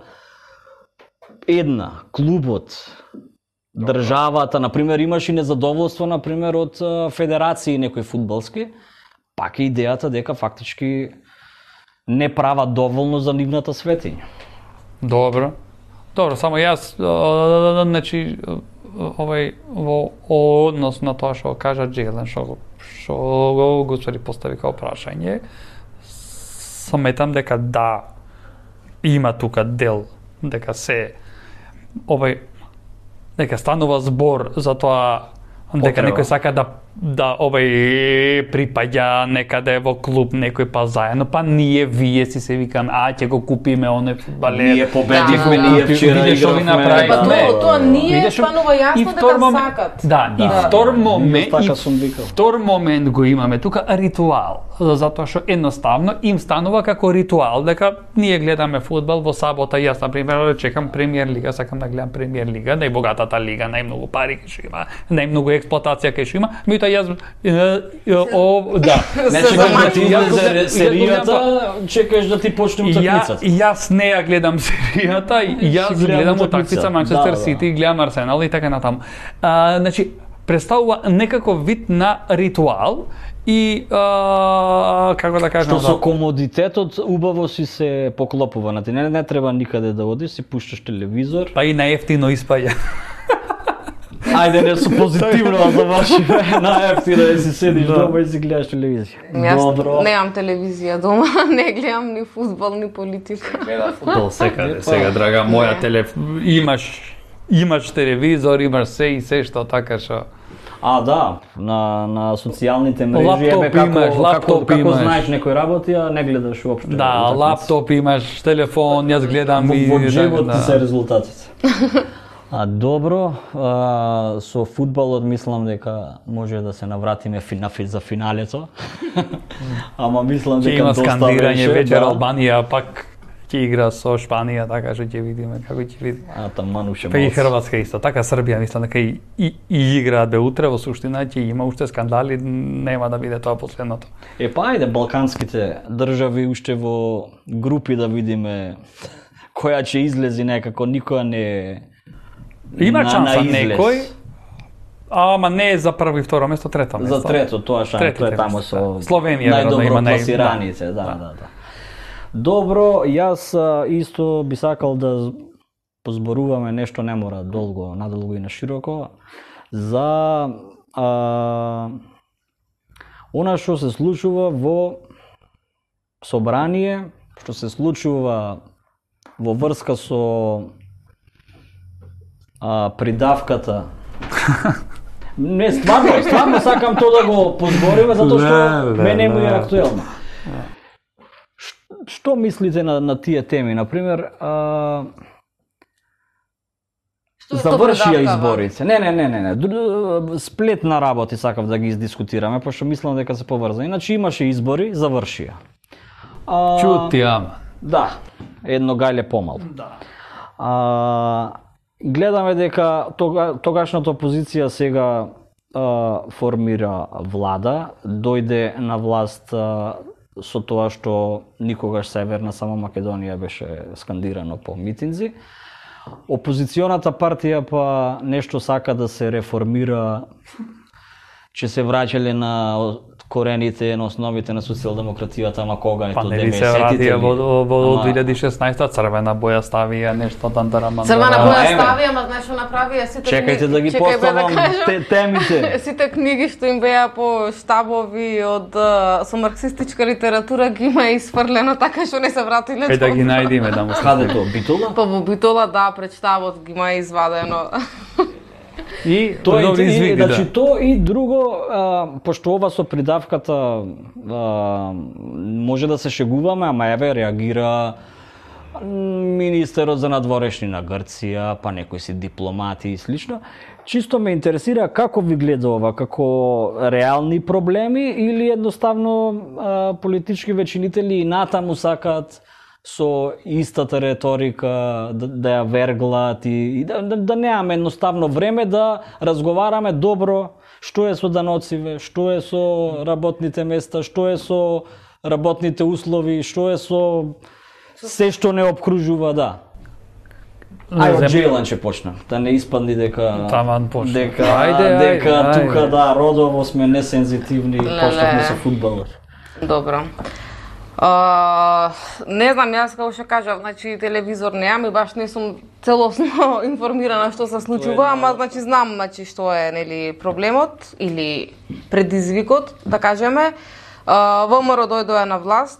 една, клубот, државата, на пример, имаш и незадоволство, на пример, од федерации некои фудбалски, пак е идејата дека фактички не прават доволно за нивната светиња. Добро. Добро, само јас, значи, овај, во однос на тоа што кажа Джелен, што што го господи постави као прашање, сметам дека да, има тука дел, дека се, овај, дека станува збор за тоа дека Потреба. некој сака да да овај припаѓа некаде во клуб некој па заедно, па ние вие си се викаме, а ќе го купиме оне фудбалер. Ние победивме, Да, ние да. вчера Видиш што ви игравме. направивме. Па тоа, тоа ние Видиш, станува и јасно втор дека момент- сакат. Да, и Да. втор И момент, така и сум викал. втор момент го имаме тука ритуал, затоа што едноставно им станува како ритуал дека ние гледаме фудбал во сабота, јас на пример чекам премиер лига, сакам да гледам премиер лига, најбогатата лига, најмногу пари ќе што има, најмногу експлоатација ќе што има, меѓутоа јас е, е, о, да. Не Се чекаш да ти замаќи. излезе серијата, чекаш да ти почне Ја, утакмицата. јас не ја гледам серијата, јас Си гледам гледам утакмица. утакмица Манчестер Да, да. Сити, гледам Арсенал и така натаму. А, значи, представува некаков вид на ритуал и а, како да кажам, Што со да, комодитетот убаво си се поклопува на ти. Не, не треба никаде да одиш, си пушташ телевизор. па и најефтино испаѓа. Ајде не со позитивно да завршиме, најефтино да си седиш Да. дома и си гледаш телевизија. Јас Добро. немам телевизија дома, не гледам ни фудбал, ни политика. Гледа фудбал секаде, сега драга моја телеф имаш имаш телевизор, имаш се и се што така што. А, да, на, на социјалните мрежи, Лаптоп ебе, како, имаш, како, лаптоп како имаш. знаеш некој работи, а не гледаш уопште. Да, утакмица. лаптоп имаш, телефон, јас гледам Во, и во така, джебот да. ти се резултатите. А добро, а, со фудбалот мислам дека може да се навратиме фи- на фи- за финалето. Ама мислам Ќе дека има доста скандирање беше, вечер да. Албанија, пак ќе игра со Шпанија, така што ќе видиме како ќе видиме. А таман уште Па и малку. Хрватска исто, така Србија мислам дека и, и, и играат бе утре во суштина ќе има уште скандали, нема да биде тоа последното. Е, па ајде, балканските држави уште во групи да видиме која ќе излези некако, никоја не е Има на- шанса на излез. некој, ама не е за прво и второ место, трето место. За трето, тоа шанс, Третите тоа е таму место, со да. Словенија веројатно најдобро има нај- пласираните, да, да, да. Добро, јас а, исто би сакал да позборуваме нешто, не мора долго, надолго и на широко, за а, она што се случува во собрание, што се случува во врска со а, придавката. Не, стварно, стварно сакам тоа да го позбориме, затоа што Да, да, мене му е да. актуелно. Ш- Што мислите на, на тие теми? Например, а, Што е тоа завршија предавкава? изборите. Не, не, не, не, не. Дру- Сплет на работи сакав да ги издискутираме, пошто мислам дека се поврзани. Значи имаше избори, завршија. А, Чути, ама. Да, едно гајле помал. Да. А, гледаме дека тога, тогашната опозиција сега а, формира влада, дојде на власт а, со тоа што никогаш Северна само Македонија беше скандирано по митинзи. Опозиционата партија па нешто сака да се реформира, че се враќале на корените, на основите на социјалдемократијата, ама кога е Па тоа не ли се вратија во, во Ама- две илјади и шеснаесета црвена боја ставија нешто тандараман. Црвена Да, боја еме. ставија, ама знаеш што направија сите Чекајте да ги чекај, бе, поставам кажам. те, темите. Сите книги што им беа по штабови од а, со марксистичка литература ги има исфрлено така што не се вратиле. Кај да ги добро. најдиме да му Каде тоа? Битола? Па во Битола, да, пред штабот ги има извадено. И Тоа е, добри и, извиди, значи да. тоа и друго, а, пошто ова со придавката а, може да се шегуваме, ама еве реагира министерот за надворешни на Грција, па некои си дипломати и слично. чисто ме интересира како ви гледа ова, како реални проблеми или едноставно а, политички вечинители и натаму сакаат со истата реторика да, да ја верглат и, и да, да, да немаме едноставно време да разговараме добро што е со даноциве, што е со работните места, што е со работните услови, што е со се што не обкружува, да. Ај од Джейлан ќе почнам, да не испадни дека Таман почна. дека Ајде, дека ајде, тука ајде. да родово сме несензитивни, почнавме со фудбалот. Добро. Uh, не знам, јас како што кажав, значи телевизор немам и баш не сум целосно информирана што се случува, ама значи знам значи што е нели проблемот или предизвикот, да кажеме. Uh, ВМРО дојдоа на власт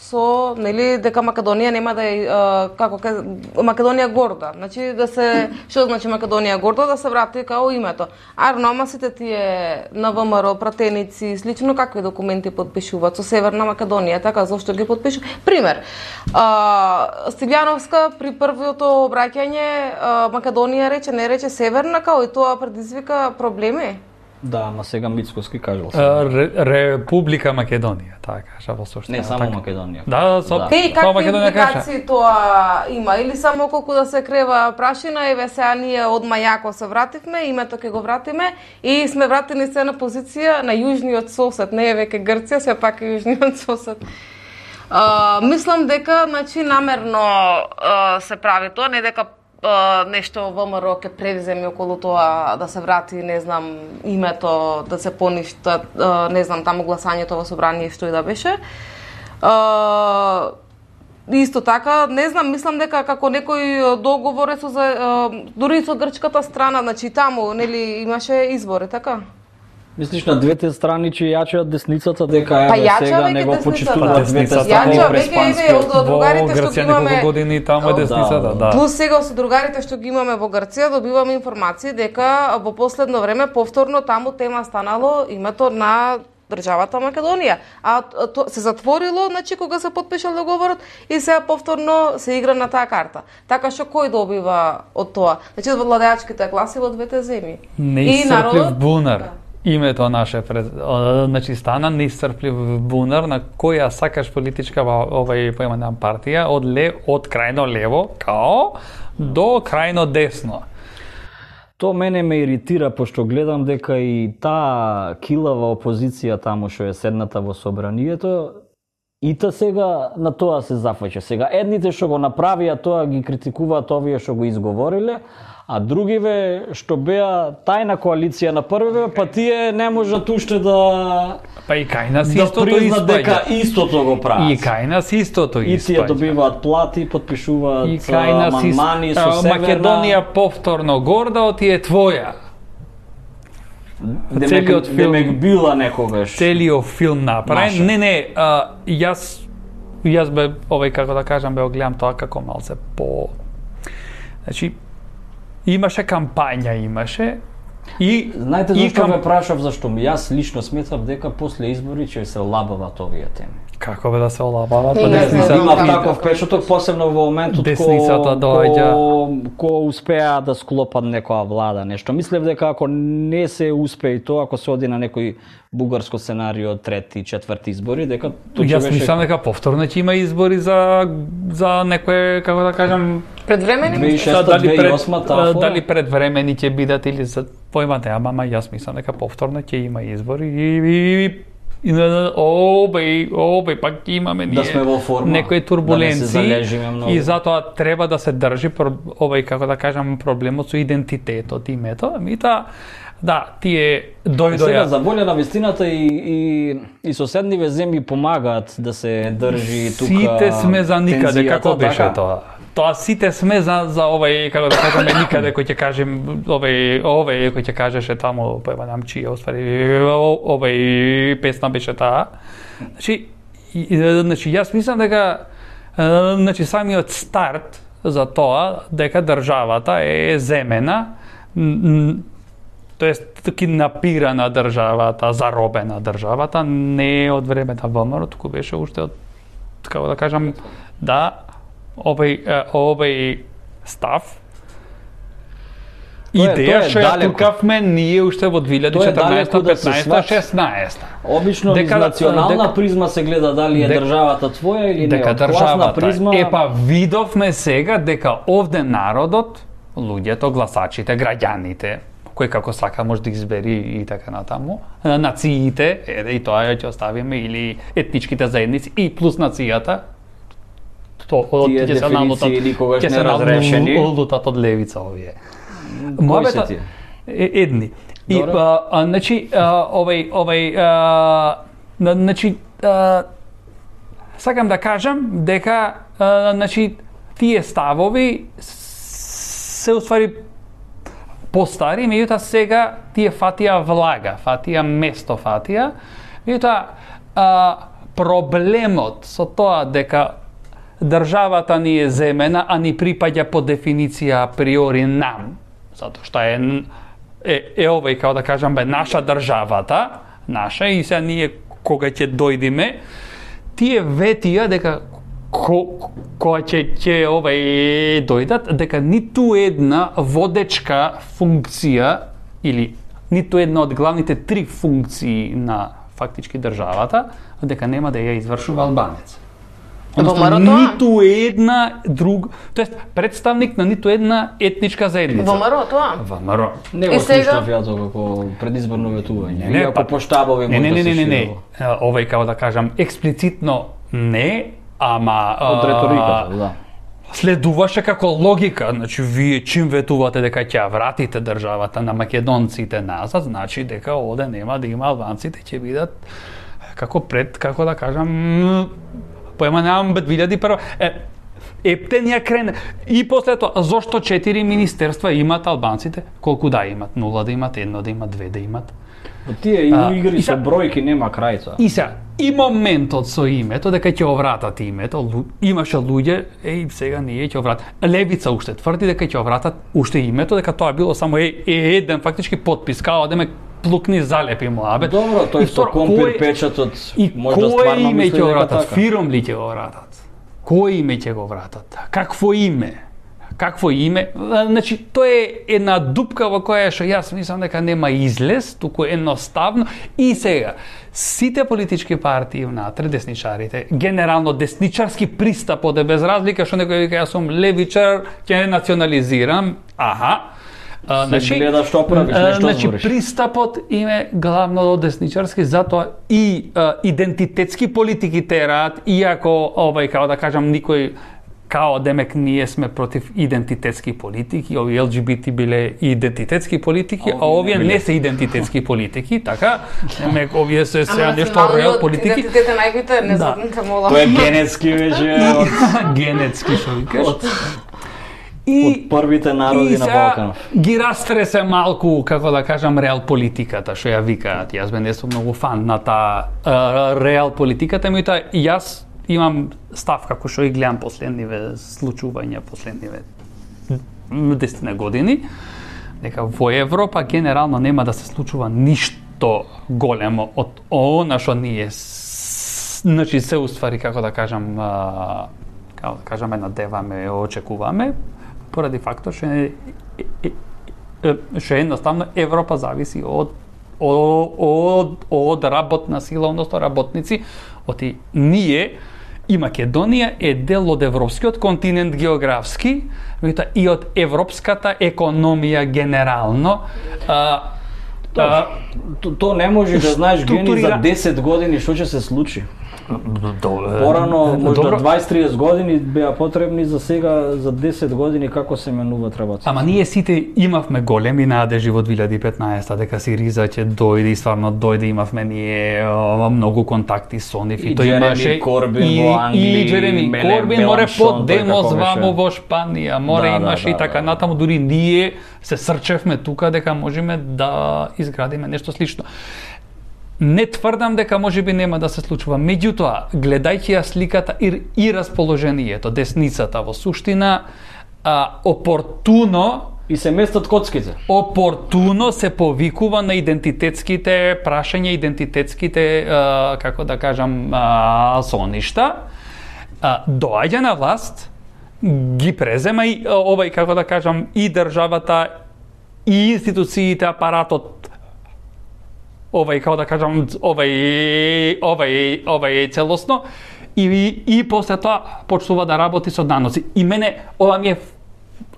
со нели дека Македонија нема да е uh, како ке, Македонија горда. Значи да се што значи Македонија горда да се врати као името. Арно, ама сите тие на ВМРО пратеници слично какви документи потпишуваат со Северна Македонија, така зошто ги потпишуваат? Пример. Uh, Стилјановска при првото обраќање uh, Македонија рече, не рече Северна, као и тоа предизвика проблеми. Да, ама сега Мицкоски кажал. Ре, Република Македонија, така кажа во суштина. Не само така. Македонија. Да, со, Да. Те и со какви Македонија кажа. импликации тоа има? Или само колку да се крева прашина, еве сега ние од Мајако се вративме, името ќе го вратиме и сме вратени се на позиција на јужниот сосед, не е веќе Грција, се пак е јужниот сосед. Uh, мислам дека значи намерно uh, се прави тоа, не дека Uh, нешто ВМРО ќе превземе околу тоа да се врати, не знам, името, да се поништа, uh, не знам, таму гласањето во собрание што и да беше. Uh, исто така, не знам, мислам дека како некој договор е со за, uh, дури со грчката страна, значи таму, нели, имаше избори, така? Мислиш на двете страни че јачаат десницата дека Па еве јача сега веќе не го десницата. почитуваат двете Јача страни веќе, през еве, панскиот. од- од другарите Во што Грција имаме- неколку години таму е О, да, десницата, да. Плюс сега со другарите што ги имаме во Грција добиваме информации дека во последно време повторно таму тема станало името на државата Македонија. А то се затворило, значи кога се потпишал договорот и сега повторно се игра на таа карта. Така што кој добива од тоа? Значи од владеачките класи во двете земји. Неисцрплив бунар. Името наше пред, о, значи стана неисцрплив бунар на која сакаш политичка овај поимена партија од ле од крајно лево као до крајно десно. То мене ме иритира пошто гледам дека и таа килава опозиција таму што е седната во собранието и та сега на тоа се зафаќа. Сега едните што го направија тоа ги критикуваат овие што го изговориле, а другиве што беа тајна коалиција на првиве, па тие не можат уште да Па и кај нас да истото признат дека испаѓа. истото го прават. И кај нас истото И тие испаѓа. добиваат плати, потпишуваат И кај нас ис- амандмани со а, Северна. Македонија повторно горда, ти е твоја. Демек, целиот филм- демек била некогаш. Целиот филм направен. Наша. Не, не, а, јас јас бе овај како да кажам бе гледам тоа како малце по значи имаше кампања, имаше и Знаете и зашто кам- ве прашав, зашто ми јас лично сметав дека после избори ќе се лабават овие теми. Како бе да се олабава, Не, па не, Не, Десница- знам, имав да. таков печаток, посебно во моментот Десницата ко, доаѓа. ко, ко успеа да склопат некоја влада, нешто. Мислев дека ако не се успе и тоа, ако се оди на некој бугарско сценарио, трети, четврти избори, дека тоа ќе Јас беше мислам дека повторно ќе има избори за за некое како да кажам Предвремени две тисаќи и мислиш? шеста, дали две тисаќи и пред осма таа дали предвремени ќе бидат или за поимате, ама ама јас мислам дека повторно ќе има избори и, и, и И на обеј, обеј, пак имаме ние Да сме во форма, некои да турбуленции не се залежиме многу. и затоа треба да се држи про- овај како да кажам проблемот со идентитетот, името, ами та да, тие Сега дојдоа за волја на вистината и, и, и соседниве земји помагаат да се држи тука сите сме за никаде, тензијата, како беше така? тоа? Тоа сите сме за за овај како да кажеме никаде кој ќе кажем овај овај кој ќе кажеше таму па знам чија уствари овај песна беше таа. Значи и- и- значи јас мислам дека е, значи самиот старт за тоа дека државата е земена н- тоест киднапирана државата, заробена државата не е од времето ВМРО, туку беше уште од како да кажам да овој е, овој став идеја што ја тукавме ние уште во две илјади и четрнаесета, петнаесета, шеснаесета. Обично дека, низ национална дека, призма се гледа дали е дека, државата твоја или не. Дека државата призма... Епа видовме сега дека овде народот, луѓето, гласачите, граѓаните, кој како сака може да избери и така натаму, нациите, еде и тоа ќе оставиме, или етничките заедници и плюс нацијата, то тие дефиниции никогаш не разрешени. Лутат од левица овие. Мојата едни. И а, а, значи а, овај овај а, значи а, сакам да кажам дека а, значи тие ставови се уствари постари, меѓутоа сега тие фатија влага, фатија место фатија. Меѓутоа проблемот со тоа дека државата ни е земена, а ни припаѓа по дефиниција априори нам, затоа што е е, е овој, како да кажам, бе, наша државата, наша, и сега ние кога ќе дојдеме, тие ветија дека ко, кога ќе ќе овај дојдат, дека ниту една водечка функција или ниту една од главните три функции на фактички државата, дека нема да ја извршува албанец. Односно, ниту една друг, тоест представник на ниту една етничка заедница. Во МРО тоа? Во МРО. Не го слушнав ја тоа како предизборно ветување. Не, ако по штабови може да се шири. Не, не, не, не. Овај, како да кажам, експлицитно не, ама од реториката, да. Следуваше како логика, значи вие чим ветувате дека ќе вратите државата на македонците назад, значи дека оде нема да има албанците, ќе бидат како пред, како да кажам, поеманавам две илјади и прва. Е, ептен ја крене. И после тоа, зошто четири министерства имат албанците? Колку да имат? Нула да имат, едно да имат, две да имат. Тие игри со бројки нема крајца. И сега, и моментот со името, дека ќе овратат името, имаше луѓе, еј, сега ние ќе овратат. Левица уште тврди дека ќе овратат уште името, дека тоа било само е, е еден фактички подпис, као да ме плукни залепи муабет. Добро, тој со компир печатот може да стварно мисли дека така. Фиром ли ќе го вратат? Кој име ќе го вратат? Какво име? Какво име? Значи, тоа е една дупка во која што јас мислам дека нема излез, туку едноставно. И сега, сите политички партии внатре, десничарите, генерално десничарски пристапот е без разлика што некој вика јас сум левичар, ќе национализирам. Аха. А, значи, гледа што правиш, нешто значи, збориш. Пристапот им е главно десничарски, затоа и а, идентитетски политики тераат, иако, овај, као да кажам, никој, као демек ние сме против идентитетски политики, овие Ел Џи Би Ти биле идентитетски политики, а овие не се идентитетски политики, така, демек овие се сега нешто реал политики. Идентитет е најбитен, не знам, мола. Тоа е генетски веќе. Генетски, што викаш. И, од првите народи на Балканов. Ги растресе малку, како да кажам, реал политиката, што ја викаат. Јас бе не сум многу фан на таа реал политиката, меѓутоа јас имам став како што и гледам последниве случувања, последниве десет години, дека во Европа генерално нема да се случува ништо големо од она што ние значи се уствари, како да кажам, како да кажам, надеваме, очекуваме, поради фактот што што едноставно Европа зависи од од од работна сила, односно работници, оти ние и Македонија е дел од европскиот континент географски, меѓутоа и од европската економија генерално. А, а, то, то не може да знаеш Гени за десет години што ќе се случи. Порано, можда дваесет-тридесет години беа потребни, за сега за десет години како се менуваат работи. Ама ние сите имавме големи надежи во две илјади и петнаесета дека Сириза ќе дојде и стварно дојде, имавме ние о, многу контакти со нив и, и тој имаше Корбин и, во Англија, и Джереми Корбин море под демос вамо во Шпанија, море да, имаше да, и така да, натаму, дури ние се срчевме тука дека можеме да изградиме нешто слично. Не тврдам дека можеби нема да се случува, меѓутоа, гледајќи ја сликата и, и расположението, десницата во суштина, а, опортуно и се местат коцките. Опортуно се повикува на идентитетските прашања, идентитетските, а, како да кажам, а, соништа, а, доаѓа на власт, ги презема и овај, како да кажам, и државата и институциите, апаратот, овај, како да кажам, овај, овај, овај целосно, и, и, и после тоа почнува да работи со даноци. И мене, ова ми е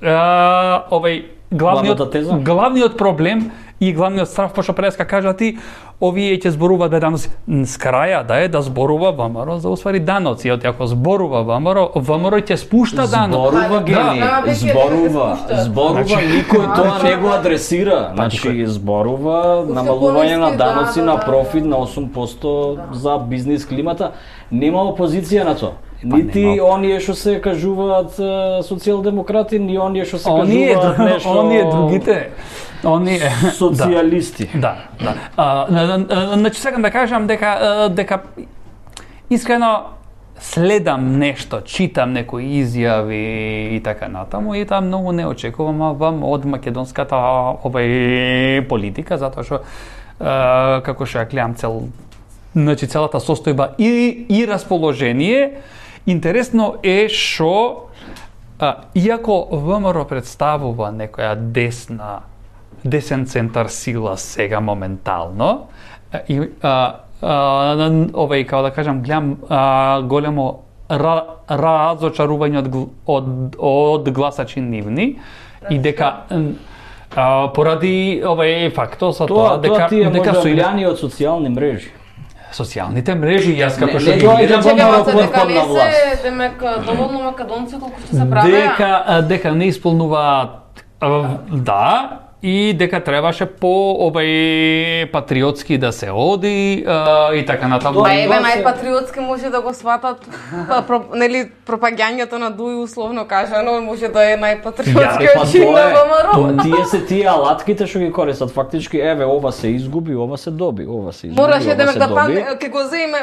а, овај главниот, главниот проблем и главниот страв, пошто преска кажа ти, овие ќе зборуваат да даноци. С краја да е да зборува ВМРО за усвари даноци. Од ако зборува ВМРО, ВМРО ќе спушта даноци. Зборува гени, да, зборува, зборува, значи, никој тоа не го адресира. Значи зборува намалување на даноци на профит на осум проценти за бизнис климата. Нема опозиција на тоа. Нити оние што се кажуваат социјалдемократи, ни оние што се кажуваат нешто... Оние другите, оние... социјалисти. Да, да. А, значи, сакам да кажам дека, дека искрено следам нешто, читам некои изјави и така натаму, и таа многу не очекувам од македонската овај политика, затоа што, како што ја гледам цел, значи целата состојба и, и расположение. Интересно е што, иако ВМРО представува некоја десна, десен центар сила сега моментално, и, а, а, овај, како да кажам, гледам а, големо ра, разочарување од, од, од гласачи нивни, и дека а, поради овај фактот со тоа, тоа дека... Тоа ти е дека можда влијани од социјални мрежи. Социјалните мрежи, јас како што не, ги не, гледам, ВМРО дека потпад не на власт. се, демек, доволно македонци колку што се правеа. дека дека не исполнуваат, да, и дека требаше по овај патриотски да се оди а, и така натаму. Па еве најпатриотски може да го сватат, про, нели пропагањето на Дуј условно кажано, може да е најпатриотски Па чин на тоа ВМРО. е, тие се тие алатките што ги користат фактички, еве ова се изгуби, ова се доби, ова се изгуби, Мораше ова демек се да доби. пане, ќе го земе,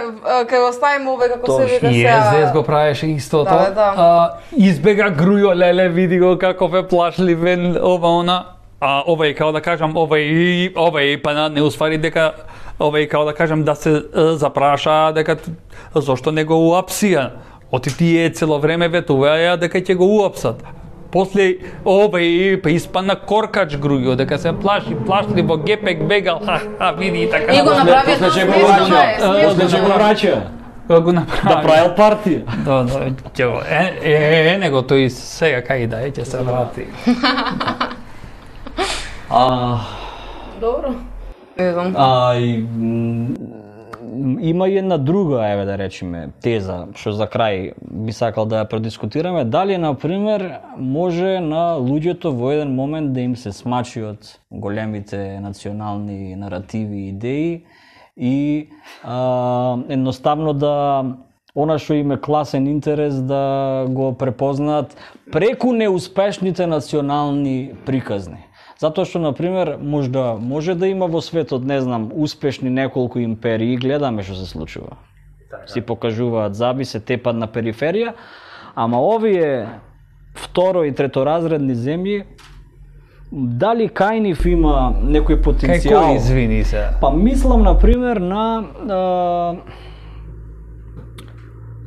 ќе го ставиме овој како се Точно. вика И се. ес го правеше истото. Да, да. А, избега Грујо Леле, види го каков е плашливен, ова она. А овај, како да кажам, овај, овај, па не усвари дека, овај, како да кажам, да се запраша дека зошто не го уапсија. Оти тие цело време ветуваја дека ќе го уапсат. После овај, па испадна коркач Грујо, дека се плаши, плашли во гепек бегал, ха, ха, види и така. И го направи После ќе го смешно враќа, е, после ќе го враќа. Го направи. Да правил партија. Да, да, ќе го, е, е, е, него тој сега кај да е, ќе се врати. А, Добро. Не знам. а и, м, има и една друга, еве да речеме, теза што за крај би сакал да ја продискутираме, дали на пример може на луѓето во еден момент да им се смачи од големите национални наративи и идеи и а, едноставно да она што им е класен интерес да го препознаат преку неуспешните национални приказни. Затоа што, например, можда може да има во светот, не знам, успешни неколку империи, гледаме што се случува. Си покажуваат заби, се тепат на периферија, ама овие второ и треторазредни земји, дали кај нив има некој потенцијал? Кај кој, извини се? Па мислам, например, на... А,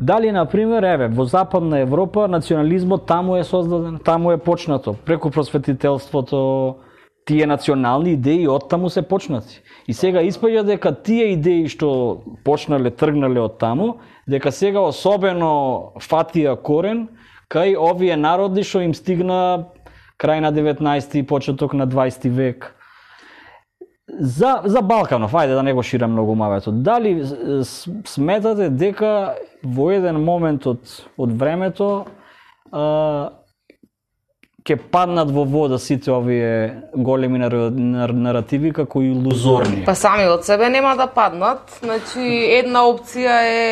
дали, например, еве, во Западна Европа национализмот таму е создаден, таму е почнато, преку просветителството, тие национални идеи од таму се почнати. И сега испаѓа дека тие идеи што почнале, тргнале од таму, дека сега особено фатија корен кај овие народи што им стигна крај на деветнаести и почеток на дваесети век. За, за Балканов, ајде да не го ширам многу мавето, дали сметате дека во еден момент од, од времето а, ќе паднат во вода сите овие големи нар, нар, наративи како илузорни? Па сами од себе нема да паднат. Значи, една опција е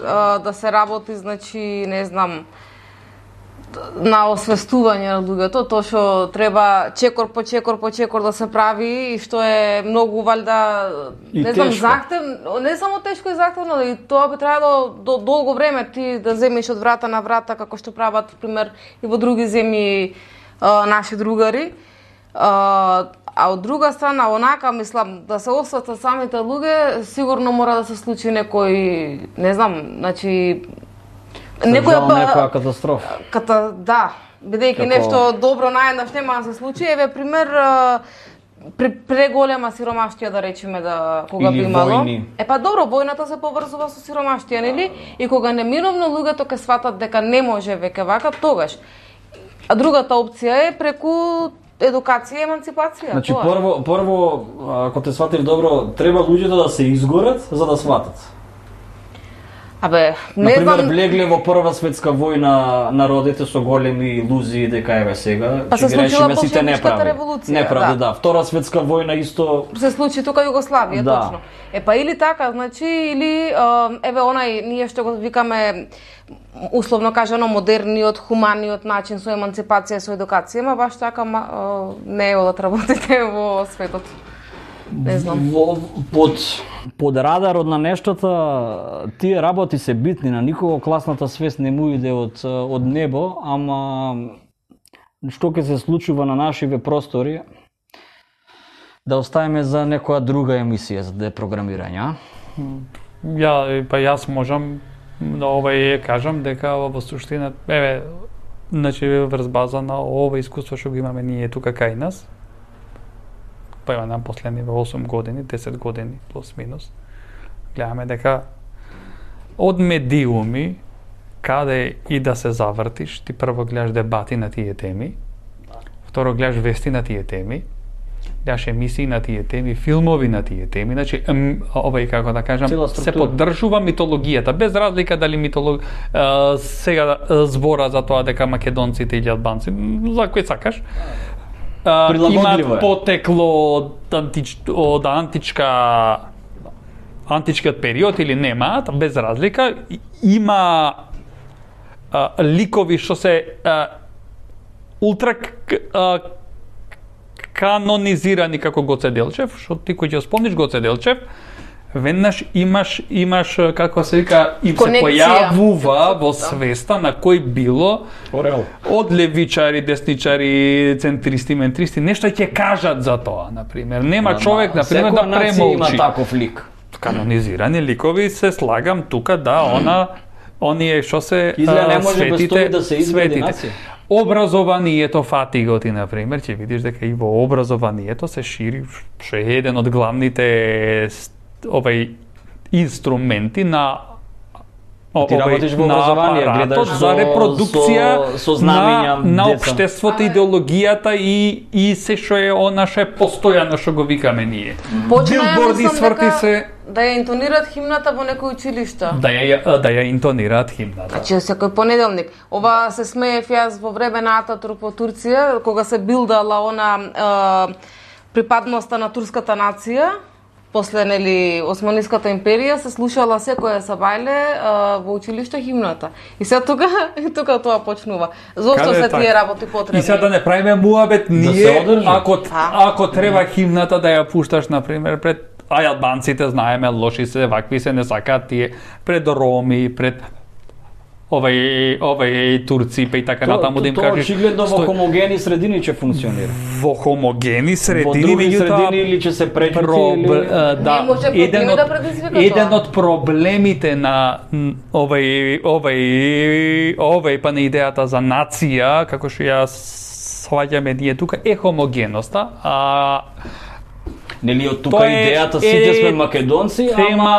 а, да се работи, значи, не знам, на освестување на луѓето, тоа што треба чекор по чекор по чекор да се прави и што е многу валјда, не знам, захтевно, не само тешко и захтевно, и тоа би требало до долго време ти да земеш од врата на врата, како што прават, пример, и во други земји а, наши другари. А, а од друга страна, онака, мислам, да се освестат самите луѓе, сигурно мора да се случи некој, не знам, значи, Некоја некоја катастрофа. Ката, да, бидејќи Како... нешто добро наеднаш нема да се случи, еве пример преголема сиромаштија, да речеме, да кога Или би имало. Војни. Е па добро, војната се поврзува со сиромаштија, нели? И кога неминовно луѓето ќе сватат дека не може веќе вака, тогаш. А другата опција е преку едукација и еманципација. Значи тоа. прво прво ако те сватив добро, треба луѓето да се изгорат за да сватат. Абе, не Например, знам... влегле во Прва светска војна народите со големи илузии дека еве сега, Па се случила сите Болшевичката револуција, неправди, да. да. Втора светска војна исто се случи тука Југославија, Да. точно. Е па или така, значи, или а, еве онај ние што го викаме условно кажано модерниот, хуманиот начин со еманципација, со едукација, ма баш така ма, а, не е одат работите во светот. Не знам. Во, под, под радарот на нештата, тие работи се битни, на никого класната свест не му иде од, од небо, ама што ќе се случува на нашиве простори, да оставиме за некоја друга емисија за депрограмирање. Ја, па јас можам да овај кажам дека во суштина, еве, значи врз база на ова искуство што го имаме ние тука кај нас, па има нам последниве осум години, десет години плюс минус, гледаме дека од медиуми каде и да се завртиш, ти прво гледаш дебати на тие теми, второ гледаш вести на тие теми, гледаш емисии на тие теми, филмови на тие теми, значи овај како да кажам, се поддржува митологијата, без разлика дали митолог е, сега збора за тоа дека македонците или албанци, за кој сакаш, имаат потекло од, антич, од античка античкиот период или немаат, без разлика, има а, ликови што се а, ултра а, канонизирани како Гоце Делчев, што ти кој ќе спомниш Гоце Делчев, веднаш имаш имаш како се вика им се појавува во свеста на кој било Орел. Од левичари, десничари, центристи, ментристи, нешто ќе кажат за тоа, на пример. Нема Ама, човек на пример да премолчи. Има таков лик. Канонизирани ликови се слагам тука да она оние што се Израел не може светите, да се изгради светите. нација. Образованието фатиго ти, например, ќе видиш дека и во образованието се шири, што е еден од главните овај инструменти на Ти работиш во образование, гледаш за репродукција со, со знамења на, на општеството, идеологијата и и се што е она што е постојано што го викаме ние. Билборди сврти се да ја интонираат химната во некој училиште. Да ја да ја интонираат химната. Значи секој понеделник. Ова се смеев јас во време на Ататурк во Турција, кога се билдала она е, припадноста на турската нација. После нели Османиската империја се слушала секоја сабајле во училиште химната. И сега тука и тука тоа почнува. Зошто се тие работи потребни? И сега да не правиме муабет ние да ако ако треба химната да ја пушташ на пример пред а албанците знаеме лоши се, вакви се, не сакаат тие пред роми, пред овај овај турци па и така натаму да им кажеш. Тоа очигледно во хомогени средини ќе функционира. Во хомогени средини, во други средини или ќе се пречути или да, еден од еден од проблемите на овај овај овај па на идејата за нација, како што ја сваѓаме ние тука, е хомогеноста, а нели од тука идејата сите сме македонци, ама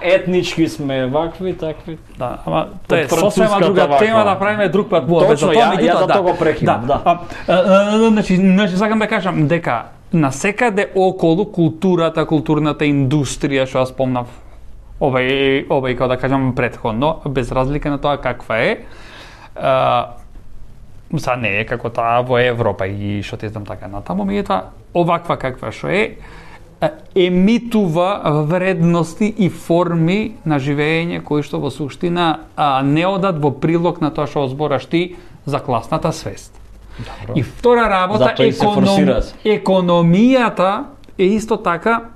етнички сме вакви, такви. Да, ама тоа е сосема друга тема, да правиме друг пат во без тоа, меѓутоа да. Тоа прекинам, да. Значи, значи сакам да кажам дека насекаде околу културата, културната индустрија што ја спомнав овај овај како да кажам претходно, без разлика на тоа каква е, са не е како таа во Европа и што ти знам така натаму, меѓутоа оваква каква што е, емитува вредности и форми на живење кои што во суштина а, не одат во прилог на тоа што збораш ти за класната свест. Добро. И втора работа, економ... економијата е исто така,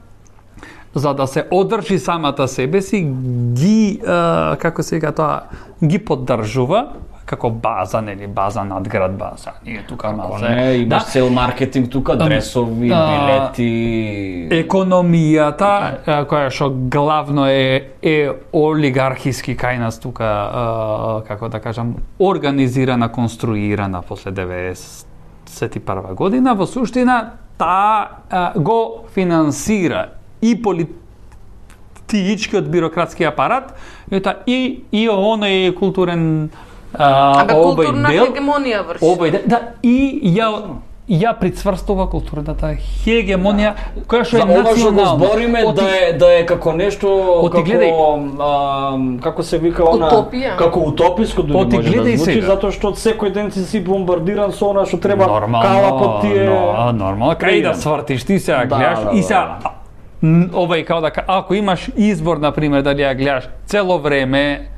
за да се одржи самата себе си, ги, а, како се вика тоа, ги поддржува, како база, нели, база надград база. Ние тука малце. Не, имаш да. цел маркетинг тука, дресови, да, билети. Економијата, која што главно е е олигархиски кај нас тука, а, како да кажам, организирана, конструирана после деветдесет и прва година, во суштина таа го финансира и политичкиот бирократски апарат, ета и и оној културен а, обој дел, хегемонија врши. Обој дел, да, и ја ја прицврстува културната хегемонија која што е национална. За ова што го збориме Оти... да е да е како нешто Оти, како а, како се вика она утопија. Како утописко дури Оти, може да звучи сега. затоа што секој ден си си бомбардиран со она што треба нормално, кала по тие. Но, нормално, кај да свртиш ти се да, гледаш да, и се да. овај као да ако имаш избор на пример дали ја гледаш цело време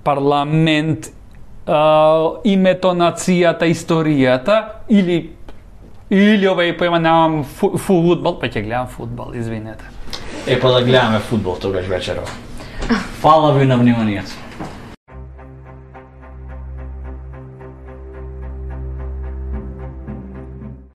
парламент, Uh, името, нацијата, историјата или или овај поема немам фу, фудбал, па ќе гледам фудбал, извинете. Е па да гледаме фудбал тогаш вечерва. Фала ви на вниманието.